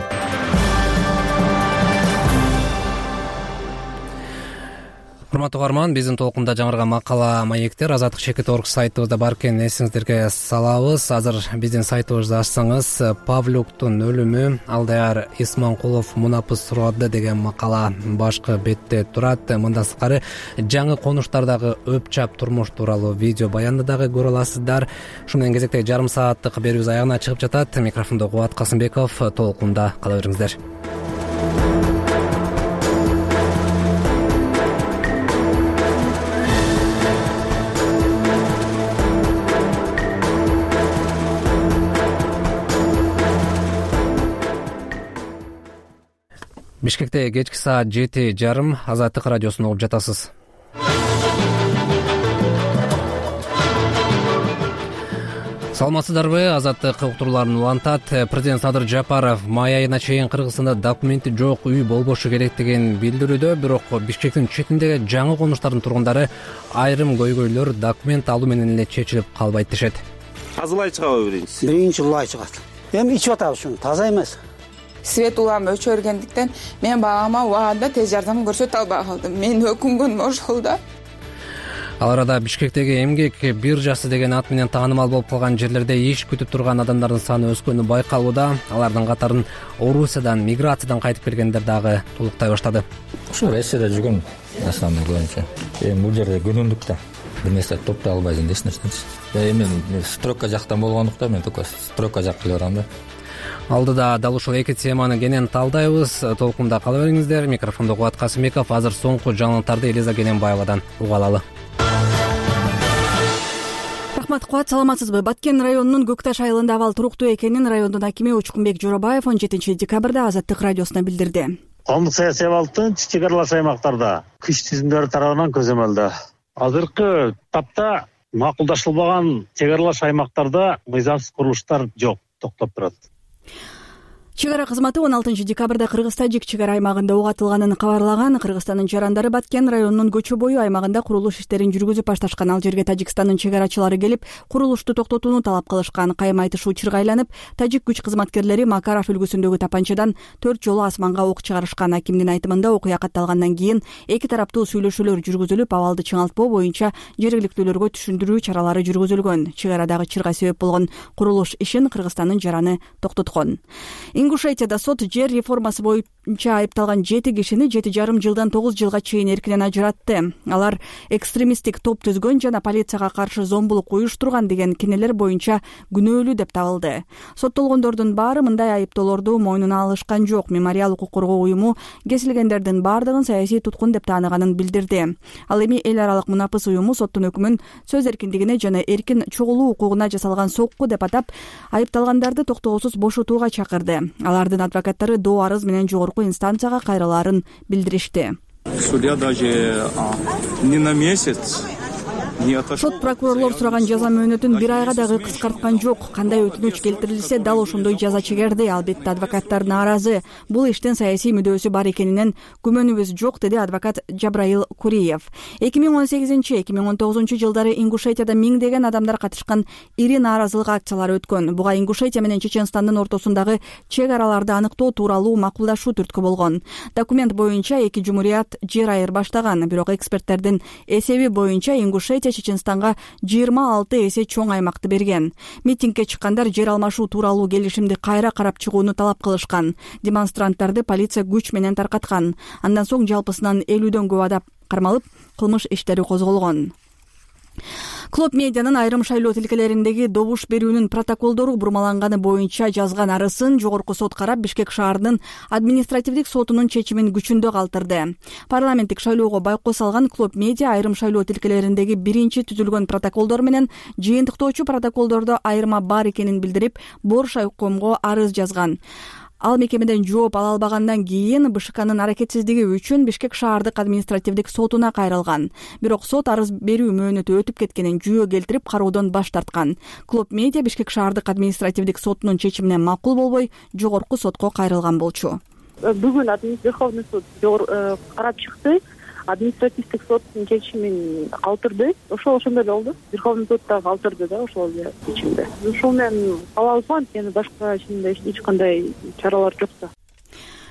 урматтуу угарман, биздин толкунда жаңырган макала маектер Азаттык чекит орг сайтыбызда бар экенин эсиңиздерге салабыз. Азыр биздин сайтыбызды ачсаңыз, Павлюктун өлүмү Алдаяр Исманкулов мунапыс сурады деген макала башкы бетте турат. Мындан сырткары жаңы конуштардагы өпчап турмуш тууралуу видео баянды дагы көрө аласыздар. Ушу менен кезектеги жарым сааттык берүүбүз аягына чыгып жатат. Микрофондо Кубат Касымбеков, толкунда кала бериңиздер. Бишкекте кечки саат 7:30 Азаттык радиосун угуп жатасыз. Саламатсыздарбы? Азаттык уктурууларын улантат. Президент Садыр Жапаров май айына чейин Кыргызстанда документи жок үй болбошу керек деген билдирүүдө, бирок Бишкектин четиндеги жаңы конуштардын тургундары айрым көйгөйлөр документ алуу менен эле чечилип калбайт дешет. Тазалай чыгабы биринчи улай чыгат. Эми ичип атабыз ушуну, таза эмес. Свет улам өчөргөндүктөн мен багама убагында тез жардам көрсөтө албай калдым. Мен өкүнгөнүм ошол да. Ал арада Бишкектеги эмгек биржасы деген ат менен таанымал болуп калган жерлерде иш күтүп турган адамдардын саны өскөнү байкалууда. Алардын катарын Орусиядан, миграциядан кайтып келгендер дагы толуктай баштады. Ушу Россияда жүргөн основной көбүнчө. Бул жерде күнүндүк да бир нерсе топтой албайсың, эч нерсечи. Мен стройка жактан болгондуктан мен только стройка жакка эле барам да. Алдыда дал ушул эки теманы кенен талдайбыз. Толкунда кала бериңиздер. Микрофондо Кубат Касымбеков. Азыр соңку жаңылыктарды Элиза Кененбаевадан уга алалы. Рахмат, Кубат, саламатсызбы? Баткен районунун Көкташ айылында абал туруктуу экенин райондун акими Учкунбек Жоробаев 17 декабрда Азаттык радиосуна билдирди. Коомдук саясий абалдын чек аралаш аймактарда күч түзүмдөрү тарабынан көзөмөлдө. Азыркы тапта макулдашылбаган чек аралаш аймактарда мыйзамсыз курулуштар жок, токтоп турат. Чек ара кызматы 16 декабрда Кыргыз-Тажик чек ара аймагында ок атылганын кабарлаган. Кыргызстандын жарандары Баткен районунун көчө бою аймагында курулуш иштерин жүргүзүп башташкан. Ал жерге Тажикстандын чек арачылары келип, курулушту токтотууну талап кылышкан. Кайым айтышы учурга айланып, тажик күч кызматкерлери Макаров үлгүсүндөгү тапанчадан 4 жолу асманга ок чыгарышкан. Акимдин айтымында окуя катталгандан кийин эки тараптуу сүйлөшүүлөр жүргүзүлүп, абалды чыңалтпоо боюнча жергиликтүүлөргө түшүндүрүү чаралары жүргүзүлгөн. Чек арадагы чырга себеп болгон курулуш ишин Кыргызстандын жараны токтоткон. Ингушетияда сот жер реформасы боюнча айыпталган 7 кишини 7,5 жылдан 9 жылга чейин эркинен ажыратты. Алар экстремисттик топ түзгөн жана полицияга каршы зомбулук уюштурган деген кинелер боюнча күнөөлүү деп табылды. Соттолгондордун баары мындай айыптоолорду мойнуна алышкан жок. Мемориал укук коргоо уюму кесилгендердин баардыгын саясий туткун деп тааныганын билдирди. Ал эми эл аралык мунапыс уюму соттун өкүмүн сөз эркиндигине жана эркин чогулуу укугуна жасалган сокку деп атап, айыпталгандарды токтоосуз бошотууга чакырды. Алардын адвокаттары доо арыз менен жогорку инстанцияга кайрылаарын билдиришти. Судья даже не на месяц. Сот прокурорлор сураган жаза мөөнөтүн бир айга дагы кыскарткан жок. Кандай өтүнүч келтирилсе дал ошондой жаза чегерди. Албетте адвокаттар нааразы. Бул иштин саясий мүдөөсү бар экенинен күмөнүбүз жок, деди адвокат Жабраил Куриев. 2018-2019 жылдары Ингушетияда миңдеген адамдар катышкан ири нааразылык акциялары өткөн. Буга Ингушетия менен Чеченстандын ортосундагы чек араларды аныктоо тууралуу макулдашуу түрткү болгон. Документ боюнча эки жумурият жер айырбаштаган, бирок эксперттердин эсеби боюнча Ингушетия Чеченстанга 26 эсе чоң аймакты берген. Митингге чыккандар жер алмашуу тууралуу келишимди кайра карап чыгууну талап кылышкан. Демонстранттарды полиция күч менен таркаткан. Андан соң жалпысынан 50дөн көп адам кармалып, кылмыш иштери козголгон. Клоп медианын айрым шайлоо тилкелериндеги добуш берүүнүн протоколдору бурмаланганы боюнча жазган арызын жогорку сот карап, Бишкек шаарынын административдик сотунун чечимин күчүндө калтырды. Парламенттик шайлоого байкоо салган Клоп медиа айрым шайлоо тилкелериндеги биринчи түзүлгөн протоколдор менен жыйынтыктоочу протоколдордо айырма бар экенин билдирип, Бош айкомго арыз жазган. Ал мекемеден жооп ала албагандан кийин БШКнын аракетсиздиги үчүн Бишкек шаардык административдик сотуна кайрылган. Бирок сот арыз берүү мөөнөтү өтүп кеткенин жүйө келтирип, кароодон баш тарткан. Клоп медиа Бишкек шаардык административдик сотунун чечимине макул болбой, жогорку сотко кайрылган болчу. Бүгүн Верховный суд карап чыкты. Административдик соттун чечимин калтырды. Ошондой эле болду. Верховный суд да калтырды да ошол эле чечимди. Ушул менен кабалбайм, анткени башка эч кандай чаралар жок да.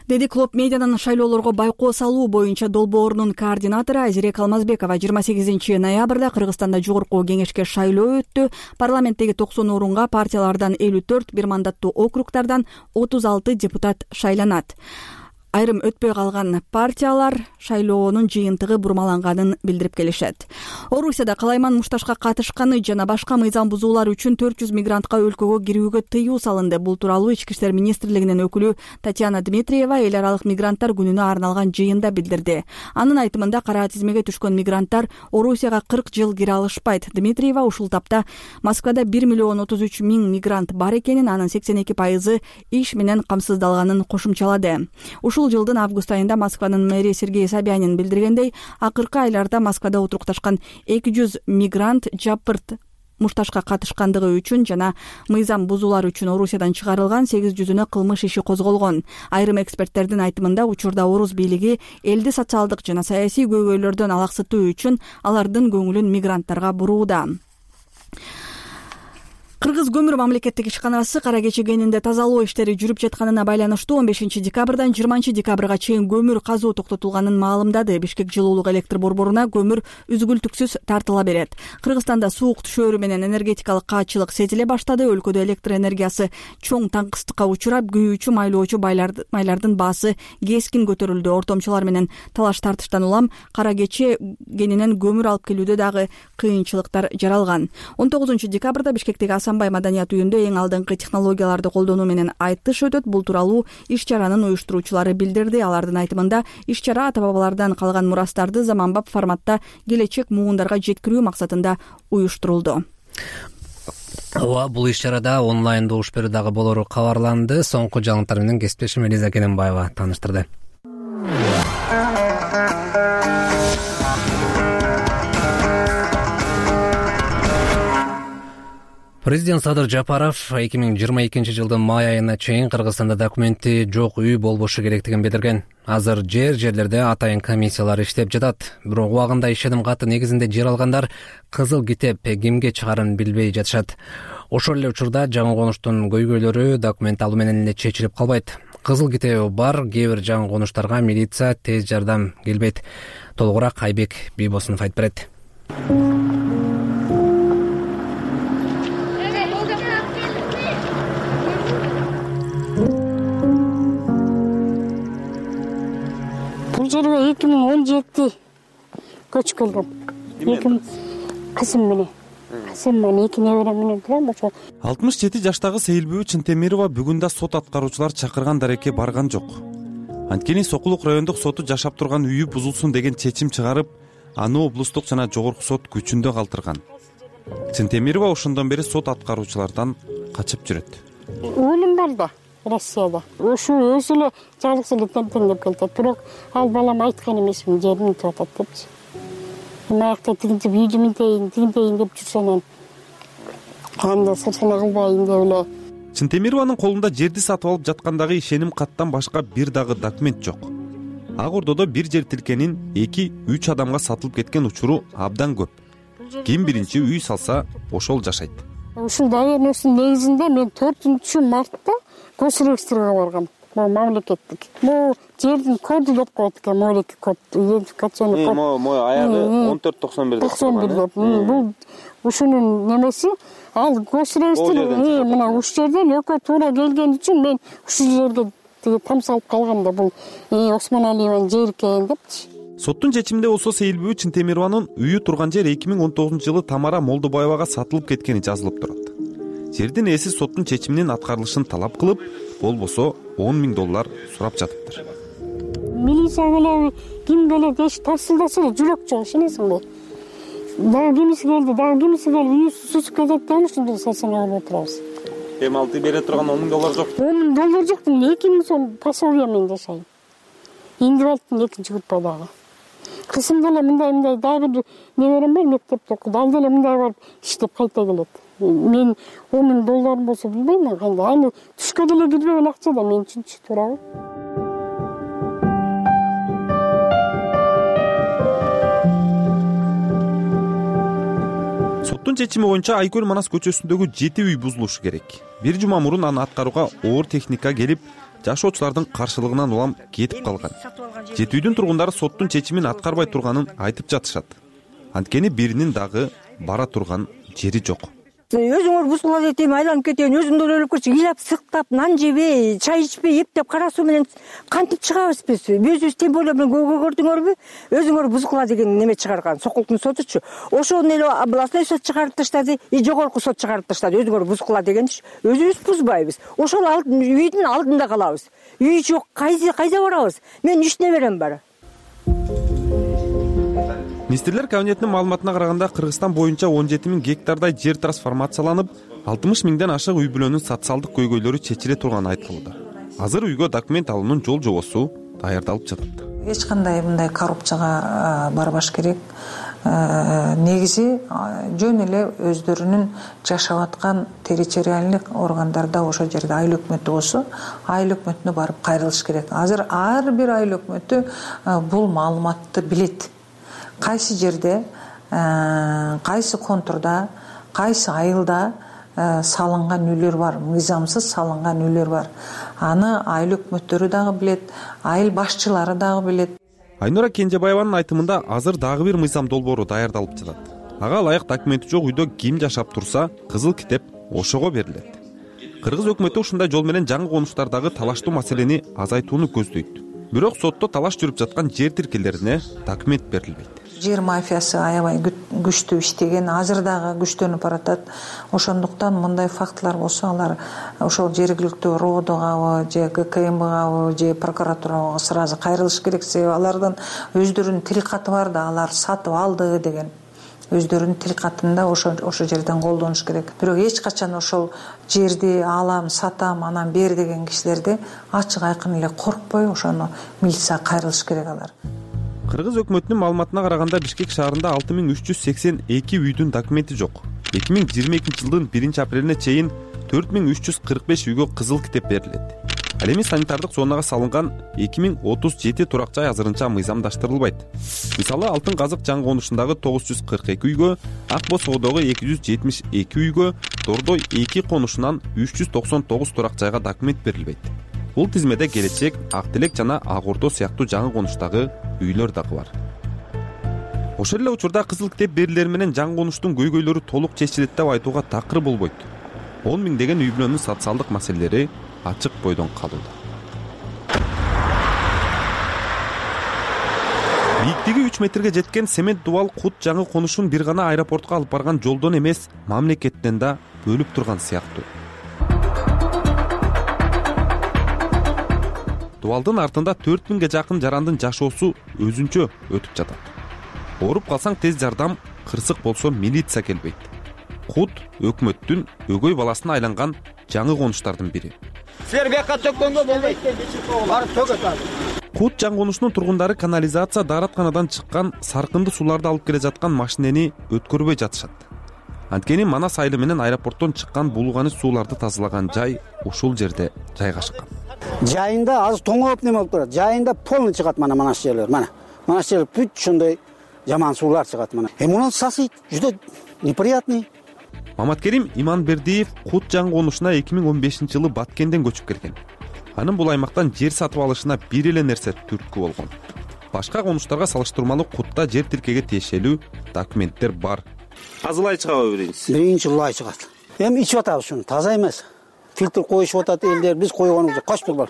деди Клоп медианын шайлоолорго байкоо салуу боюнча долбоорунун координатору Айзерек Алмазбекова. 28 ноябрда Кыргызстанда жогорку кеңешке шайлоо өттү. Парламенттеги 90 орунга партиялардан 54, бир мандаттуу округдардан 36 депутат шайланат. Айрым өтпөй калган партиялар шайлоонун жыйынтыгы бурмаланганын билдирип келишет. Орусияда калайман мушташка катышканы жана башка мыйзам бузуулар үчүн 400 мигрантка өлкөгө кирүүгө тыюу салынды. Бул тууралуу Ички иштер министрлигинин өкүлү Татьяна Дмитриева эл аралык мигранттар күнүнө арналган жыйында билдирди. Анын айтымында кара тизмеге түшкөн мигранттар Орусияга 40 жыл кире алышпайт. Дмитриева ушул тапта Москвада 1 миллион 33 миң мигрант бар экенин, анын 82% иш менен камсыздалганын кошумчалады. Ушул жылдын август айында Москванын мэри Сергей Собянин билдиргендей, акыркы айларда Москвада отурукташкан 200 мигрант жапырт мушташка катышкандыгы үчүн жана мыйзам бузуулар үчүн Орусиядан чыгарылган, 800-үнө кылмыш иши козголгон. Айрым эксперттердин айтымында учурда орус бийлиги элди социалдык жана саясий көйгөйлөрдөн алаксытуу үчүн алардын көңүлүн мигранттарга бурууда. Кыргыз көмүр мамлекеттик ишканасы кара кечи кенинде тазалоо иштери жүрүп жатканына байланыштуу 15 декабрдан 20 декабрга чейин көмүр казуу токтотулганын маалымдады. Бишкек жылуулук электр борборуна көмүр үзгүлтүксүз тартыла берет. Кыргызстанда суук түшөөрү менен энергетикалык каатчылык сезиле баштады. Өлкөдө электр энергиясы чоң таңкыстыкка учурап, күйүүчү, майлоочу майлардын баасы кескин көтөрүлдү. Ортомчулар менен талаш тартыштан улам кара кечи кенинен көмүр алып келүүдө дагы кыйынчылыктар жаралган. 19 декабрда Бишкектеги Асанбай маданият үйүндө эң алдыңкы технологияларды колдонуу менен айтыш өтөт. Бул тууралуу иш-чаранын уюштуруучулары билдирди. Алардын айтымында иш-чара ата-бабалардан калган мурастарды заманбап форматта келечек муундарга жеткирүү максатында уюштурулду. Бул иш-чарада онлайн добуш берүү дагы болору кабарланды. Соңку жаңылыктар менен кесиптешим Элиза Кененбаева тааныштырды. Президент Садыр Жапаров 2022 жылдын май айына чейин Кыргызстанда документи жок үй болбошу керектигин билдирген. Азыр жерлерде атайын комиссиялар иштеп жатат. Бирок убагында ишеним каты негизинде жер алгандар кызыл китеп кимге чыгарын билбей жатышат. Ошол эле учурда жаңы конуштун көйгөйлөрү документ алуу менен эле чечилип калбайт. Кызыл китеби бар кээ бир жаңы конуштарга милиция тез жардам келбейт. Толугураак Айбек Бийбосунов айтып берет. Бул жерге 2017 көчүп келдим. Кызым менен. Кызым менен 2 неберем менен турам ошо. 67 жаштагы Сейилбүү Чынтемирова бүгүн да сот аткаруучулар чакырган дарекке барган жок. Анткени Сокулук райондук соту жашап турган үйү бузулсун деген чечим чыгарып, аны облустук жана жогорку сот күчүндө калтырган. Чынтемирова ошондон бери сот аткаруучулардан качып жүрөт. Өлүм бар да. Россияда. Ошо өзү эле жалгыз эле тентеңдеп келет. Бирок ал балам айткан эмесмин, жерим жатат депчи. Мынакта тигинтип үйдү мынтейин деп жүрсөм, кандай сырсына кылбайын деп эле. Чынтемированын колунда жерди сатып алып жаткандагы ишеним каттан башка бир дагы документ жок. Ак Ордодо бир жер тилкенин 2-3 адамга сатылып кеткен учуру абдан көп. Ким биринчи үй салса, ошол жашайт. Ушул доверенностьтун негизинде мен 4-мартта госрегистрге баргам. Бул мамлекеттик. Бул жердин коду деп коет экен, мамлекеттик код, идентификационный код. Аягы 1491 деп. 91 деп. Бул ушунун немеси, ал госрегистр мына уш жерден экөө туура келген үчүн мен ушул жерге там салып калгам да, бул Осмон Алиеванын жери экен депчи. Соттун чечиминде болсо Сейилбүү Чынтемированын үйү турган жер 2019 жылы Тамара Молдобаевага сатылып кеткени жазылып турат. Жердин ээси соттун чечиминин аткарылышын талап кылып, болбосо $10,000 сурап жатыптыр. Милиция келеби, ким келет деш тарсылдаса эле жүрөк жок, ишенесиңби? Дагы кимиси келди, үйү сүзүп кетет деп ушундай сасына алып отурабыз. Эми алты бере турган $10,000 жок. $10,000 жок, 2,000 сом пособие менен жашайм. Индивидуалдын экинчи группа дагы. Кызым деле мындай дагы бир неберем бар, мектепте окуйт. Ал деле мындай барып иштеп кайта келет. Мен $10,000 болсо билбейм кандай. Аны түшкө деле кирбеген акча да мен үчүнчү туурабы. Соттун чечими боюнча Айкөл Манас көчөсүндөгү 7 үй бузулушу керек. Бир жума мурун аны аткарууга оор техника келип, жашоочулардын каршылыгынан улам кетип калган. 7 үйдүн тургундары соттун чечимин аткарбай турганын айтып жатышат. Анткени биринин дагы бара турган жери жок. Өзүңөр бузгула дейт, айланып кетейин, өзүңдөр өлүп кетчи, ыйлап сыктап, нан жебей, чай ичпей, эптеп кара суу менен кантип чыгабыз биз? Өзүбүз темболо менен көрдүңөрбү? Өзүңөр бузгула деген неме чыгарган, Сокулуктун сотучу. Ошону эле областной сот чыгарып таштады, жогорку сот чыгарып таштады. Өзүңөр бузгула дегенчи. Өзүбүз бузбайбыз. Ошол үйдүн алдында калабыз. Үй жок, кайда барабыз? Мен 3 неберем бар. Министрлер кабинетинин маалыматына караганда Кыргызстан боюнча 17 000 гектардай жер трансформацияланып, 60 000ден ашык үй бүлөнүн социалдык көйгөйлөрү чечиле турганы айтылууда. Азыр үйгө документ алуунун жол жобосу даярдалып жатат. Эч кандай мындай коррупцияга барбаш керек. Негизи жөн эле өздөрүнүн жашап аткан территориалдык органдарда ошол жерде айыл өкмөтү болсо, айыл өкмөтүнө барып кайрылыш керек. Азыр ар бир айыл өкмөтү бул маалыматты билет. Кайсы жерде, кайсы контурда, кайсы айылда салынган үйлөр бар, мыйзамсыз салынган үйлөр бар. Аны айыл өкмөттөрү дагы билет, айыл башчылары дагы билет. Айнура Кенжебаеванын айтымында азыр дагы бир мыйзам долбоору даярдалып жатат. Ага ылайык документи жок үйдө ким жашап турса, кызыл китеп ошого берилет. Кыргыз өкмөтү ушундай жол менен жаңы конуштардагы талаштуу маселени азайтууну көздөйт. Бирок сотто талаш жүрүп жаткан жер тилкелерине документ берилбейт. Жер мафиясы аябай күчтүү иштеген, азыр дагы күчтөнүп баратат. Ошондуктан мындай фактылар болсо, алар ошол жергиликтүү РОДогабы, же ГКМгабы, же прокуратурага сразу кайрылыш керек. Себеби алардын өздөрүнүн тил каты бар да, алар сатып алды деген. Өздөрүнүн тил катында ошол жерден колдонуш керек. Бирок эч качан ошол жерди алам, сатам, анан бер деген кишилерди ачык айкын эле коркпой ошону милицияга кайрылыш керек алар. Кыргыз өкмөтүнүн маалыматына караганда Бишкек шаарында 6382 үйдүн документи жок. 2022 жылдын 1-апрелине чейин 4345 үйгө кызыл китеп берилет. Ал эми санитардык зонага салынган 2037 турак жай азырынча мыйзамдаштырылбайт. Мисалы, Алтын Казык жаңы конушундагы 942 үйгө, Ак Босоодогу 272 үйгө, Дордой 2 конушунан 399 турак жайга документ берилбейт. Бул тизмеде Келечек, Ак Тилек жана Ак Ордо сыяктуу жаңы конуштагы үйлөр дагы бар. Ошол эле учурда кызыл китеп берилери менен жаңы конуштун көйгөйлөрү толук чечилет деп айтууга такыр болбойт. 10 миңдеген үй бүлөнүн социалдык маселелери ачык бойдон калууда. Бийиктиги 3 метрге жеткен цемент дубал Кут жаңы конушун бир гана аэропортко алып барган жолдон эмес, мамлекеттен да бөлүп турган сыяктуу. Дубалдын артында 4000ге жакын жарандын жашоосу өзүнчө өтүп жатат. Ооруп калсаң тез жардам, кырсык болсо милиция келбейт. Кут өкмөттүн өгөй баласына айланган жаңы конуштардын бири. Силер бияка төккөнгө болбойт. Барып төгөт азыр. Кут жаңы конушунун тургундары канализация дааратканадан чыккан саркынды сууларды алып келе жаткан машинени өткөрбөй жатышат. Анткени Манас айылы менен аэропорттон чыккан булганы сууларды тазалаган жай ушул жерде жайгашкан. Жайында азыр тоңоп неме болуп турат. Жайында полный чыгат мана Манас жерлер. Мана Манас жерлер бүт ушундай жаман суулар чыгат мана. Мунун сасы жүдө неприятный. Маматкерим Иманбердиев Кут жаңы конушуна 2015 жылы Баткенден көчүп келген. Анын бул аймактан жер сатып алышына бир эле нерсе түрткү болгон. Башка конуштарга салыштырмалуу Кутта жер тилкеге тиешелүү документтер бар. Азылай чыгабы биринчи лай чыгат. Эми ичип атабыз шуну, таза эмес. Фильтр коюшуп атат элдер, биз койгонубуз жок. Качып бар.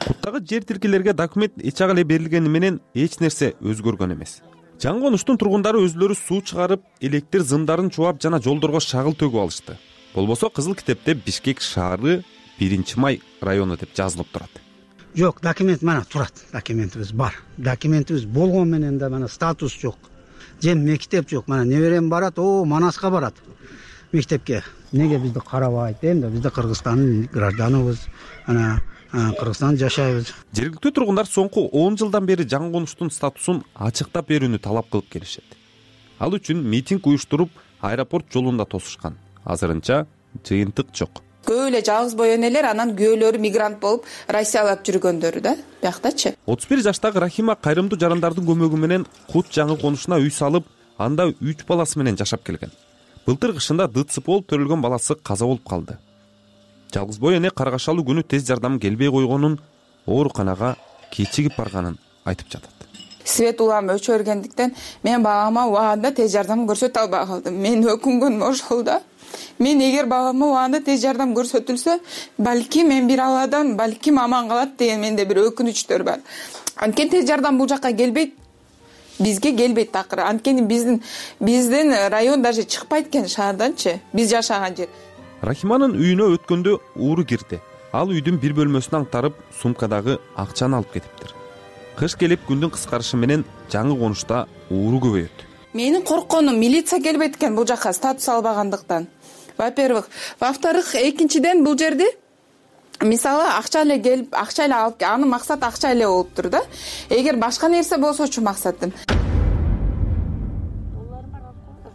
Куттагы жер тилкелерге документ эч ак эле берилгени менен эч нерсе өзгөргөн эмес. Жаңы конуштун тургундары өзлөрү суу чыгарып, электр зымдарын чубап жана жолдорго шагыл төгүп алышты. Болбосо кызыл китепте Бишкек шаары 1-май району деп жазылып турат. Жок, документ мана турат. Документибиз бар. Документибиз болгон менен да мана статус жок. Же мектеп жок. Мана неберем барат, Манаска барат. Мектепке. Неге бизди карабайт дейм да, бизде Кыргызстандын гражданыбыз. Ана Кыргызстанда жашайбыз. Жергиликтүү тургундар соңку 10 жылдан бери жаңы конуштун статусун ачыктап берүүнү талап кылып келишет. Ал үчүн митинг уюштуруп, аэропорт жолунда тосушкан. Азырынча жыйынтык жок. Көп эле жалгыз бой энелер, анан күйөөлөрү мигрант болуп Россиялап жүргөндөрү да бияктачы. 31 жаштагы Рахима кайрымдуу жарандардын көмөгү менен Кут жаңы конушуна үй салып, анда 3 баласы менен жашап келген. Былтыр кышында ДЦП болуп төрөлгөн баласы каза болуп калды. Жалгыз бой эне каргашалуу күнү тез жардам келбей койгонун, ооруканага кечигип барганын айтып жатат. Свет улам өчөргөндүктөн мен балама убагында тез жардам көрсөтө албай калдым. Мен өкүнгөнүм ошол да. Мен эгер балама убагында тез жардам көрсөтүлсө, балким мен бир Алладан балким аман калат деген менде бир өкүнүчтөр бар. Анткени тез жардам бул жакка келбейт. Бизге келбейт такыр. Анткени биздин район даже чыкпайт экен шаарданчы. Биз жашаган жер. Рахиманын үйүнө өткөндө ууру кирди. Ал үйдүн бир бөлмөсүн аңтарып, сумкадагы акчаны алып кетиптир. Кыш келип күндүн кыскарышы менен жаңы конушта ууру көбөйөт. Менин коркконум милиция келбейт экен бул жакка статус албагандыктан. Во-первых, во-вторых, экинчиден бул жерде мисалы акча эле келип, акча эле алып, анын максаты акча эле болуптур да. Эгер башка нерсе болсочу максатым.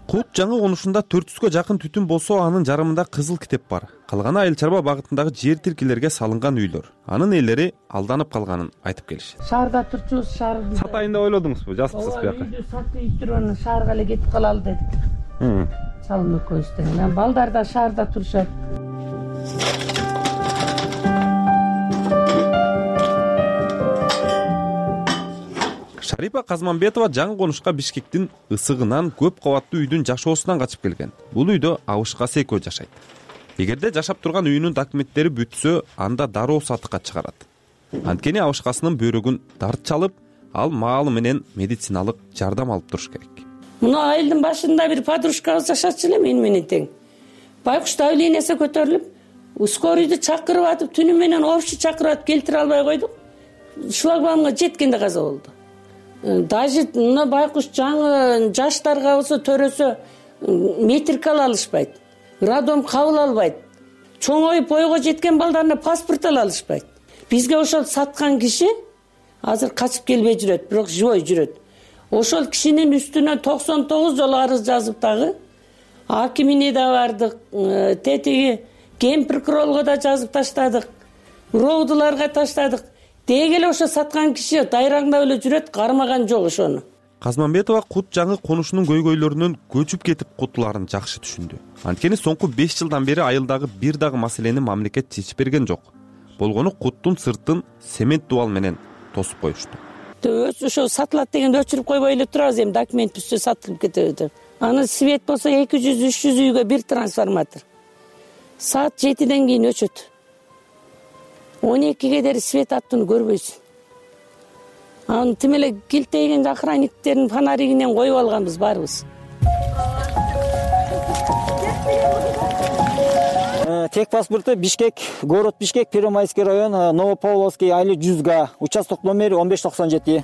Кут жаңы конушунда 400гө жакын түтүн болсо, анын жарымында кызыл китеп бар. Калганы Айыл чарба багытындагы жер тилкелерге салынган үйлөр. Анын ээлери алданып калганын айтып келишет. Шаарда турчубуз, шаарда сатайын деп ойлодуңузбу? Жазыпсыз буяка. Үйдү сатып жүрүп, шаарга эле кетип калалы дедик. Чалым экөөбүздөн. Мен балдар да шаарда турушат. Шарипа Казманбетова жаңы конушка Бишкектин ысыгынан, көп кабаттуу үйдүн жашоосунан качып келген. Бул үйдө Абышкасы экөө жашайт. Эгерде жашап турган үйүнүн документтери бүтсө, анда дароо сатыкка чыгарат. Анткени Абышкасынын бөйрөгүн тартчалып, ал маалы менен медициналык жардам алып туруш керек. Мына айылдын башында бир подружкабыз жашачу эле менен тең. Байкуш давлениеси көтөрүлүп, скорыйду чакырып атып, түнү менен общий чакырып атып келтире албай койдук. Шлагбаумга жеткенде каза болду. Даже мына байкуш жаңы жаштарга болсо төрөсө метрик ала алышпайт. Роддом кабыл албайт. Чоңоюп бойго жеткен балдарына паспорт ала алышпайт. Бизге ошол саткан киши азыр качып келбей жүрөт, бирок живой жүрөт. Ошол кишинин үстүнө 99 жолу арыз жазып дагы акимине да бардык, тетиги кен прокурорго да жазып таштадык, роудуларга таштадык. Деги эле ошо саткан киши дайраңдап эле жүрөт, кармаган жок ошону. Казманбетова Кут жаңы конушунун көйгөйлөрүнөн көчүп кетип кутулаарын жакшы түшүндү. Анткени соңку 5 жылдан бери айылдагы бир дагы маселени мамлекет чечип берген жок. Болгону Куттун сыртын цемент дубал менен тосуп коюшту. Ошо сатылат дегенде өчүрүп койбой эле турабыз, эми документ түшсө сатылып кетеби деп. Аны свет болсо 200-300 үйгө бир трансформатор. Саат 7ден кийин өчөт. 12ге дери свет аттууну көрбөйсүн. Аны тим эле килтейген охранниктердин фонаригинен коюп алганбыз баарыбыз. Тек паспорту Бишкек, город Бишкек, Первомайский район, Новопавловский, айыл 100га, участок номери 1597.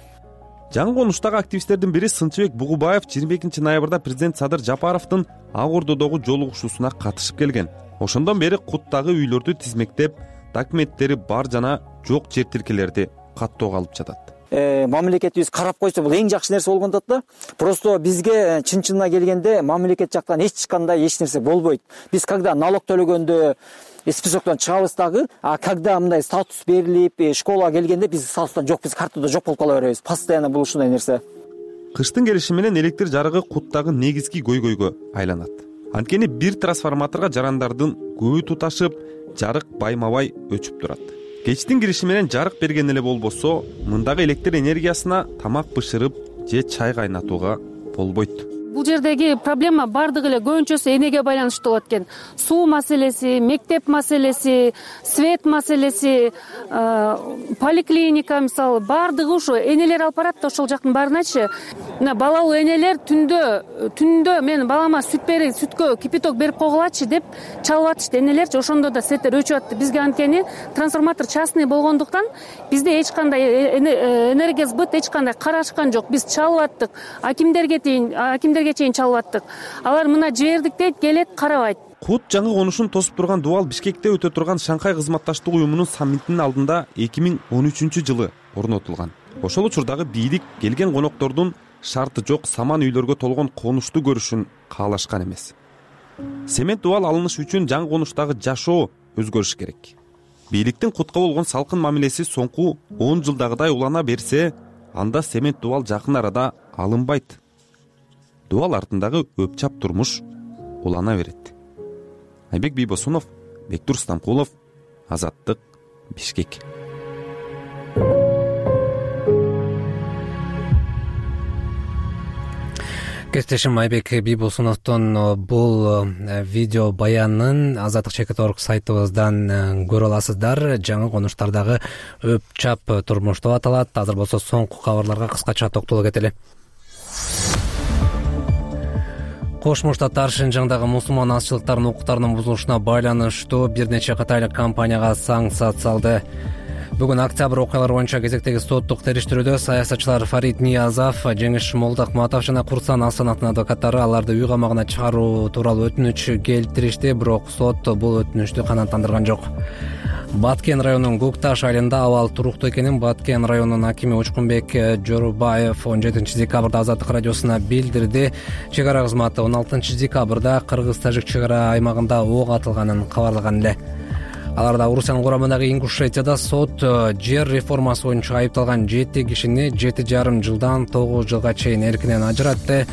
Жаңы конуштагы активисттердин бири Сынчыбек Бугубаев 22 ноябрда президент Садыр Жапаровдун Ак Ордодогу жолугушуусуна катышып келген. Ошондон бери Куттагы үйлөрдү тизмектеп, документтери бар жана жок жер тилкелерди каттоого алып жатат. Мамлекетибиз карап койсо бул эң жакшы нерсе болгон да. Просто бизге чын-чынына келгенде мамлекет жактан эч нерсе болбойт. Биз когда налог төлөгөндө списоктон чыгабыз дагы, а когда мындай статус берилип, школага келгенде биз статустан жок, биз картада жок болуп кала беребиз. Постоянно бул ушундай нерсе. Кыштын келиши менен электр жарыгы Куттагы негизги көйгөйгө айланат. Анткени бир трансформаторго жарандардын көбү туташып, жарык байма-бай өчүп турат. Кечтин кириши менен жарык берген эле болбосо, мындагы электр энергиясына тамак бышырып же чай кайнатууга болбойт. Бул жердеги проблема бардыгы эле көбүнчөсү энеге байланыштуу болот экен. Суу маселеси, мектеп маселеси, свет маселеси, поликлиника мисалы бардыгы ушу энелер алып барат да ошол жактын баарыначы. Мына балалуу энелер түндө мен балама сүткө кипяток берип койгулачы деп чалып атышты энелерчи. Ошондо да светтер өчүп атты. Бизге анткени трансформатор частный болгондуктан бизде эч кандай энергосбыт эч кандай карашкан жок. Биз чалып аттык. Акимдерге чейин чалып аттык. Алар мына жибердик дейт, келет, карабайт. Кут жаңы конушун тосуп турган дубал Бишкекте өтө турган Шанхай кызматташтык уюмунун саммитинин алдында 2013-жылы орнотулган. Ошол учурдагы бийлик келген коноктордун шарты жок саман үйлөргө толгон конушту көрүшүн каалашкан эмес. Цемент дубал алыныш үчүн жаңы конуштагы жашоо өзгөрүш керек. Бийликтин кутка болгон салкын мамилеси соңку 10 жылдагыдай улана берсе, анда семент дубал жакын арада алынбайт. Дубал артындагы өпчап турмуш улана берет. Айбек Бийбосунов, Бектур Стамкулов, Азаттык, Бишкек. Кесиптешим Айбек Бийбосуновдон бул видео баянын Азаттык.org сайтыбыздан көрө аласыздар. Жаңы конуштардагы өпчап турмуш деп аталат. Азыр болсо соңку кабарларга кыскача токтоло кетели. Кошмо Штаттар Шинжаңдагы мусулман азчылыктарынын укуктарынын бузулушуна байланыштуу бир нече кытайлык компанияга санкция салды. Бүгүн октябрь окуялары боюнча кезектеги соттук териштирүүдө саясатчылар Фарид Ниязов, Жеңиш Молдокматов жана Курсан Асановдун адвокаттары аларды үй камагына чыгаруу тууралуу өтүнүч келтиришти, бирок сот бул өтүнүчтү канааттандырган жок. Баткен районунун Гукташ айылында абал туруктуу экенин Баткен районунун акими Учкунбек Жорубаев 17 декабрда Азаттык радиосуна билдирди. Чек ара кызматы 16 декабрда Кыргыз-Тажик чек ара аймагында ок атылганын кабарлаган эле. Аларда Орусиянын курамындагы Ингушетияда сот жер реформасы боюнча айыпталган 7 кишини 7,5 жылдан 9 жылга чейин эркинен ажыратты.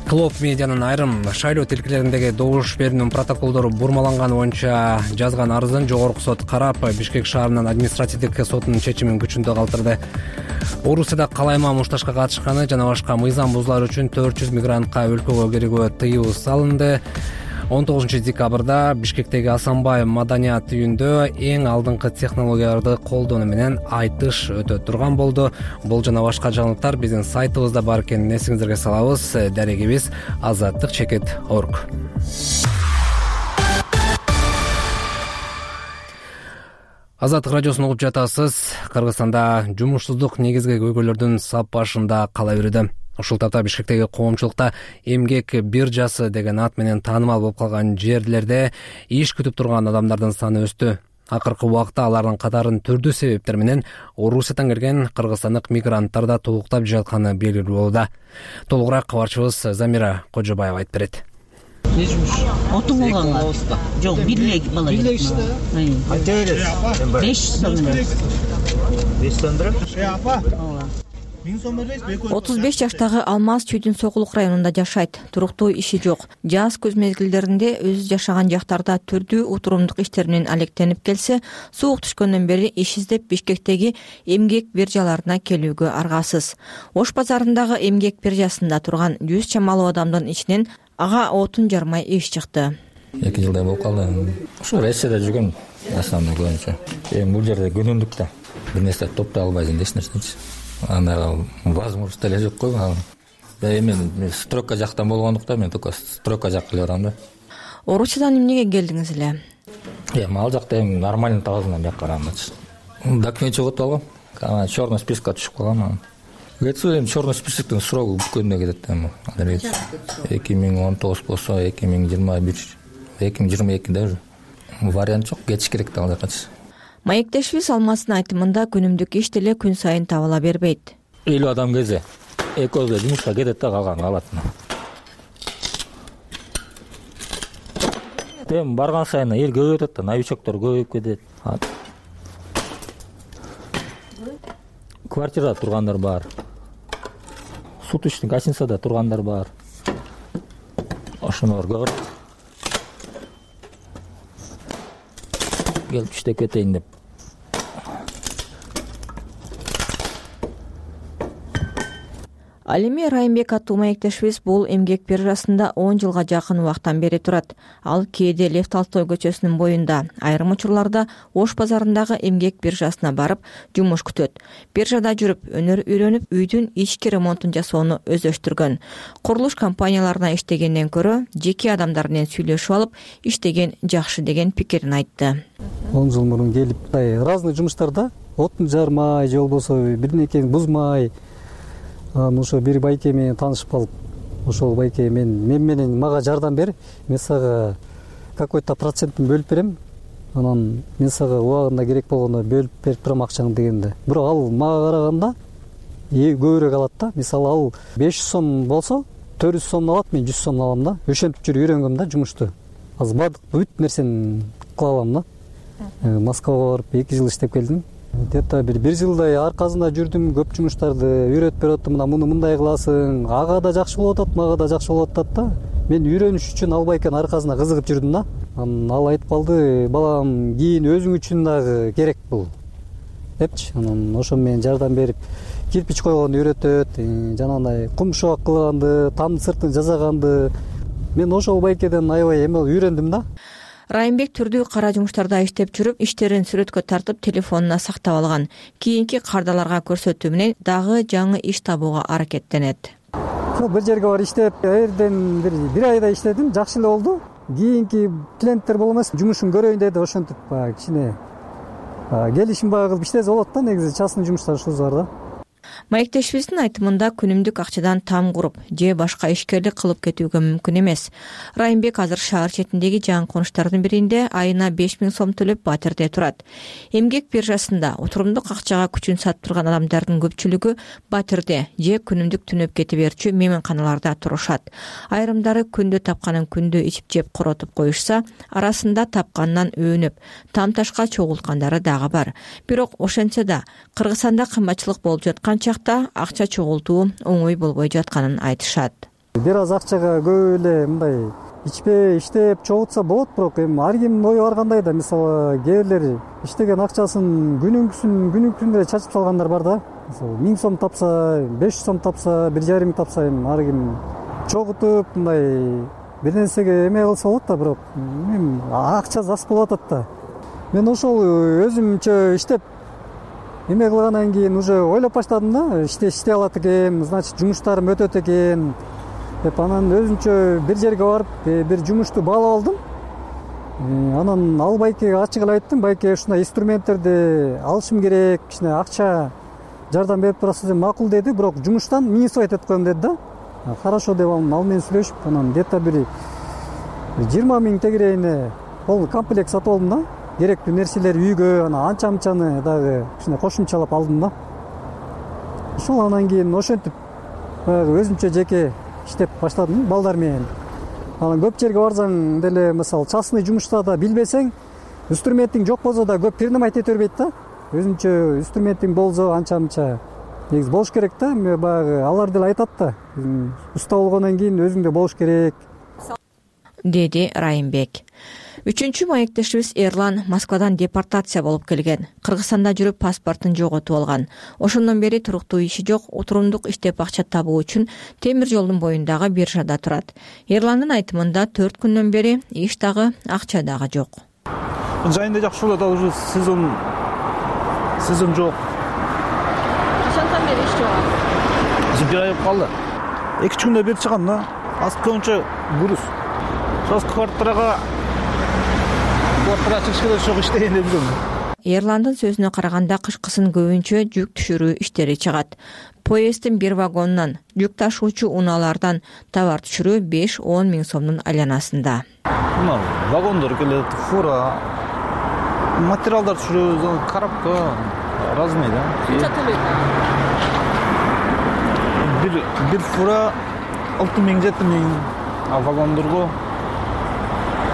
Клоп медианын айрым шайлоо тилкелериндеги добуш берүүнүн протоколдору бурмаланганы боюнча жазган арызын жогорку сот карап, Бишкек шаарынын административдик сотунун чечимин күчүндө калтырды. Орусияда калайма мушташка катышканы жана башка мыйзам бузуулар үчүн 400 мигрантка өлкөгө кирүүгө тыюу салынды. 19 декабрда Бишкектеги Асанбай маданият үйүндө эң алдыңкы технологияларды колдонуу менен айтыш өтө турган болду. Бул жана башка жаңылыктар биздин сайтыбызда бар экенин эсиңиздерге салабыз. Дарегибиз Azattik.org. Азаттык радиосун угуп жатасыз. Кыргызстанда жумушсуздук негизги көйгөйлөрдүн сап башында кала берүүдө. Ушул тапта Бишкектеги коомчулукта эмгек биржасы деген ат менен таанымал болуп калган жерлерде иш күтүп турган адамдардын саны өстү. Акыркы убакта алардын катарын түрдүү себептер менен Орусиядан келген кыргызстандык мигранттар да толуктап жатканы белгилүү болууда. Толугураак кабарчыбыз Замира Кожобаева айтып берет. Не жумуш? Отун болгонго? Жок, бирлек бала. Бирлек иште. Канча бересиз? 500 сом менен. 500 сом берем? Апа. 35 жаштагы Алмаз Чүйдүн Сокулук районунда жашайт. Туруктуу иши жок. Жаз көз мезгилдеринде өзү жашаган жактарда түрдүү утурумдук иштер менен алектенип келсе, суук түшкөндөн бери иш издеп Бишкектеги эмгек биржаларына келүүгө аргасыз. Ош базарындагы эмгек биржасында турган 100 чамалуу адамдын ичинен ага отун жармай иш чыкты. 2 жылдай болуп калды. Ошо Россияда жүргөн основной көбүнчө. Бул жерде күнүндүк да бир нерсе топтой албайсың да эч нерсечи. Анда возможность эле жок кой. Мен стройка жактан болгондуктан мен только стройка жакка келе барам да. Орусиядан эмнеге келдиңиз эле? Ал жакта нормальный табызынан бияка барамчы. Документ чогултуп алгам. Ана черный спискке түшүп калгам. Кетсем черный списоктун срогу бүткөндө кетет да. 2019 болсо 2021, 2022 уже. Вариант жок, кетиш керек да ал жакачы. Маектешибиз Алмаздын айтымында күнүмдүк иш деле күн сайын табыла бербейт. 50 адам келсе, экөөзө жумушка кетет да, калган калат. Тем барган сайын эл көбөйүп атат да, новичоктор көбөйүп кетет. Квартирада тургандар бар. Суточный гостиницада тургандар бар. Ошонор көп. Келип иштеп кетейин деп. Ал эми Райымбек аттуу маектешибиз бул эмгек биржасында 10 жылга жакын убактан бери турат. Ал кээде Лев Толстой көчөсүнүн боюнда, айрым учурларда Ош базарындагы эмгек биржасына барып жумуш күтөт. Биржада жүрүп, өнөр үйрөнүп, үйдүн ички ремонтун жасоону өздөштүргөн. Курулуш компанияларына иштегенден көрө жеке адамдар менен сүйлөшүп алып, иштеген жакшы деген пикирин айтты. 10 жыл мурун келип, разный жумуштарда отун жармай, же болбосо бирнекени бузмай, ошо бир байке менен таанышып калып, ошол байке мен менен мага жардам бер, мен сага какой-то процентин бөлүп берем, анан мен сага убагында керек болгондо бөлүп берип турам акчаңды дегенде. Бирок ал мага караганда көбүрөөк алат да. Мисалы ал 500 сом болсо 400 сом алат, мен 100 сом алам да. Ошентип жүрүп үйрөнгөм да жумушту. Азыр баардык бүт нерсени кыла алам да. Москвага барып 2 жыл иштеп келдим. Где то бир жылдай аркасында жүрдүм, көп жумуштарды үйрөтүп берип атты. Муну мындай кыласың, ага да жакшы болуп атат, мага да жакшы болуп атат да. Мен үйрөнүш үчүн албай экен аркасында кызыгып жүрдүм да. Анан ал айтып калды, балам, кийин өзүң үчүн дагы керек бул депчи. Анан ошо менен жардам берип, кирпич койгонду үйрөтөт, жанагындай кум шоак кылганды, тамдын сыртын жасаганды. Мен ошол байкеден аябай эме үйрөндүм да. Райымбек түрдүү кара жумуштарда иштеп жүрүп, иштерин сүрөткө тартып, телефонуна сактап алган. Кийинки кардаларга көрсөтүү менен дагы жаңы иш табууга аракеттенет. Бир жерге барып иштеп, эрден бир айда иштедим, жакшы эле болду. Кийинки клиенттер болмос, жумушун көрөйүн деди, ошентип кичине келишим кылып иштесе болот да, негизи частный жумуштар ушул бар да. Маектешибиздин айтымында күнүмдүк акчадан там куруп же башка ишкерлик кылып кетүүгө мүмкүн эмес. Райымбек азыр шаар четиндеги жаңы конуштардын биринде айына 5000 сом төлөп батирде турат. Эмгек биржасында отурумдук акчага күчүн сатып турган адамдардын көпчүлүгү батирде же күнүмдүк түнөп кете берчү мейманканаларда турушат. Айрымдары күндө тапканын күндө ичип жеп коротуп коюшса, арасында тапканынан өөнүп, там ташка чогулткандары дагы бар. Бирок ошентсе да Кыргызстанда кымбатчылык болуп жаткан чакта акча чогултуу оңой болбой жатканын айтышат. Бир аз акчага көп эле мындай ичпей иштеп чогултса болот, бирок эми ар кимдин ою ар кандай да. Мисалы кээ бирлер иштеген акчасын күнүнкүсүн чачып салгандар бар да. Мисалы 1000 сом тапса, 500 сом тапса, 1,5 тапса, эми ар ким чогултуп мындай бир нерсеге эме кылса болот да, бирок эми акча аз болуп атат да. Мен ошол өзүмчө иштеп эме кылгандан кийин уже ойлоп баштадым да, иштей алат экен, значит жумуштарым өтөт экен деп. Анан өзүмчө бир жерге барып бир жумушту баалап алдым. Анан ал байкеге ачык эле айттым, байке ушундай инструменттерди алышым керек, кичине акча жардам берип турасыз, макул деди, бирок жумуштан минусовать этип коем деди да. Хорошо деп ал менен сүйлөшүп, анан где-то бир 20 000 тегерегине полный комплект сатып алдым да. Керектүү нерселер үйгө, анан анча-мынчаны дагы кичине кошумчалап алдым да. Ошол анан кийин ошентип өзүмчө жеке иштеп баштадым балдар менен. Анан көп жерге барсаң деле, мисалы частный жумушта да билбесең, инструментиң жок болсо да көп принимать эте бербейт да. Өзүнчө инструментиң болсо анча-мынча негизи болуш керек да. Баягы алар деле айтат да, уста болгондон кийин өзүңдө болуш керек, деди Райымбек. Үчүнчү маектешибиз Эрлан Москвадан депортация болуп келген. Кыргызстанда жүрүп паспортун жоготуп алган. Ошондон бери туруктуу иши жок, отурумдук иштеп акча табуу үчүн темир жолдун боюндагы биржада турат. Эрландын айтымында 4 күндөн бери иш дагы, акча дагы жок. Жайында жакшы болот, ал уже сезон жок. Качандан бери иш жок? Бир ай болуп калды. 2 күндө бери чыгам да. Аз көбүнчө груз. Соз квартирага чыгыш керек, жок иштейин деп жүрөм. Эрландын сөзүнө караганда кышкысын көбүнчө жүк түшүрүү иштери чыгат. Поезддин бир вагонунан, жүк ташуучу унаалардан товар түшүрүү 5-10 миң сомдун айланасында. Вагондор келет, фура, материалдар түшүрүү, коробка, разный да. Канча төлөйт? Бир фура 6 миң, 7 миң, а вагондорго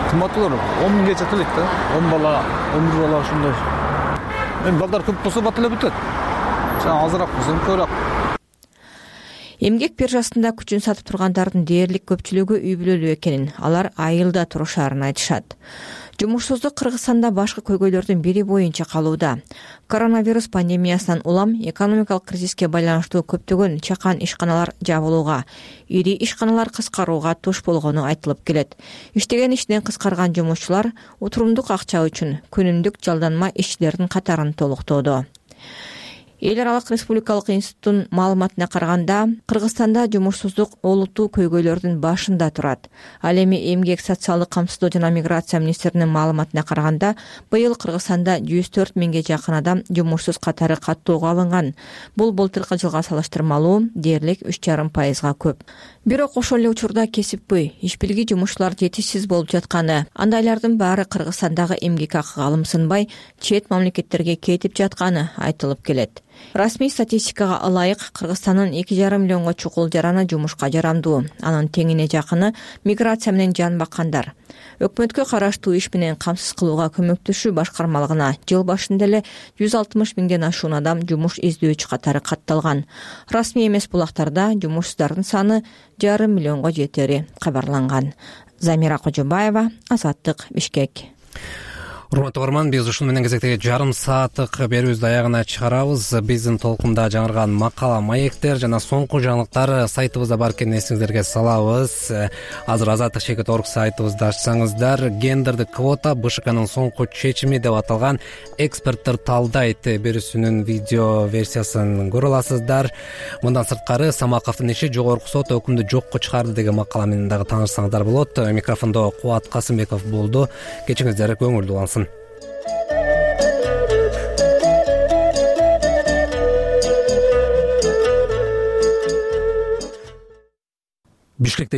кымбаттуулар 10 миңгече төлөйт да. 10 бала, 11 бала ошондой. Эми балдар көп болсо бат эле бүтөт. Азыраак болсо көбүрөөк. Эмгек биржасында күчүн сатып тургандардын дээрлик көпчүлүгү үй бүлөлүү экенин, алар айылда турушарын айтышат. Жумушсуздук Кыргызстанда башкы көйгөйлөрдүн бири боюнча калууда. Коронавирус пандемиясынан улам экономикалык кризиске байланыштуу көптөгөн чакан ишканалар жабылууга, ири ишканалар кыскарууга туш болгону айтылып келет. Иштеген ишинен кыскарган жумушчулар отурумдук акча үчүн күнүмдүк жалданма ишчилердин катарын толуктоодо. Эл аралык республикалык институттун маалыматына караганда, Кыргызстанда жумушсуздук олуттуу көйгөйлөрдүн башында турат. Ал эми Эмгек социалдык камсыздоо жана миграция министринин маалыматына караганда, быйыл Кыргызстанда 104 миңге жакын адам жумушсуз катары каттоого алынган. Бул былтыркы жылга салыштырмалуу дээрлик 3,5% көп. Бирок ошол эле учурда кесипкөй, иш билгий жумушчулар жетишсиз болуп жатканы, андайлардын баары Кыргызстандагы эмгек акыга алымсынбай, чет мамлекеттерге кетип жатканы айтылып келет. Расмий статистикага ылайык Кыргызстандын 2,5 миллионго чукул жараны жумушка жарамдуу. Анын теңине жакыны миграция менен жан баккандар. Өкмөткө караштуу иш менен камсыз кылууга көмөктөшүү башкармалыгына жыл башында эле 160 миңден ашуун адам жумуш издөөчү катары катталган. Расмий эмес булактарда жумушсуздардын саны 1,5 миллионго жетери кабарланган. Замира Кожобаева, Азаттык, Бишкек. Урматтуу угарман, биз ушун менен кезектеги жарым сааттык берүүбүздү аягына чыгарабыз. Биздин толкунда жаңырган макала, маектер жана соңку жаңылыктар сайтыбызда бар экенин эсиңиздерге салабыз. Азыр Азаттык.org сайтыбызды ачсаңыздар, гендердик квота БШКнын соңку чечими деп аталган эксперттер талдайт берүүсүнүн видео версиясын көрө аласыздар. Мындан сырткары Самаковдун иши жогорку сот өкүмдү жокко чыгарды деген макала менен дагы таанышсаңыздар болот. Микрофондо Кубат Касымбеков болду. Кечиңиздер көңүлдүү болсун. Бишкекте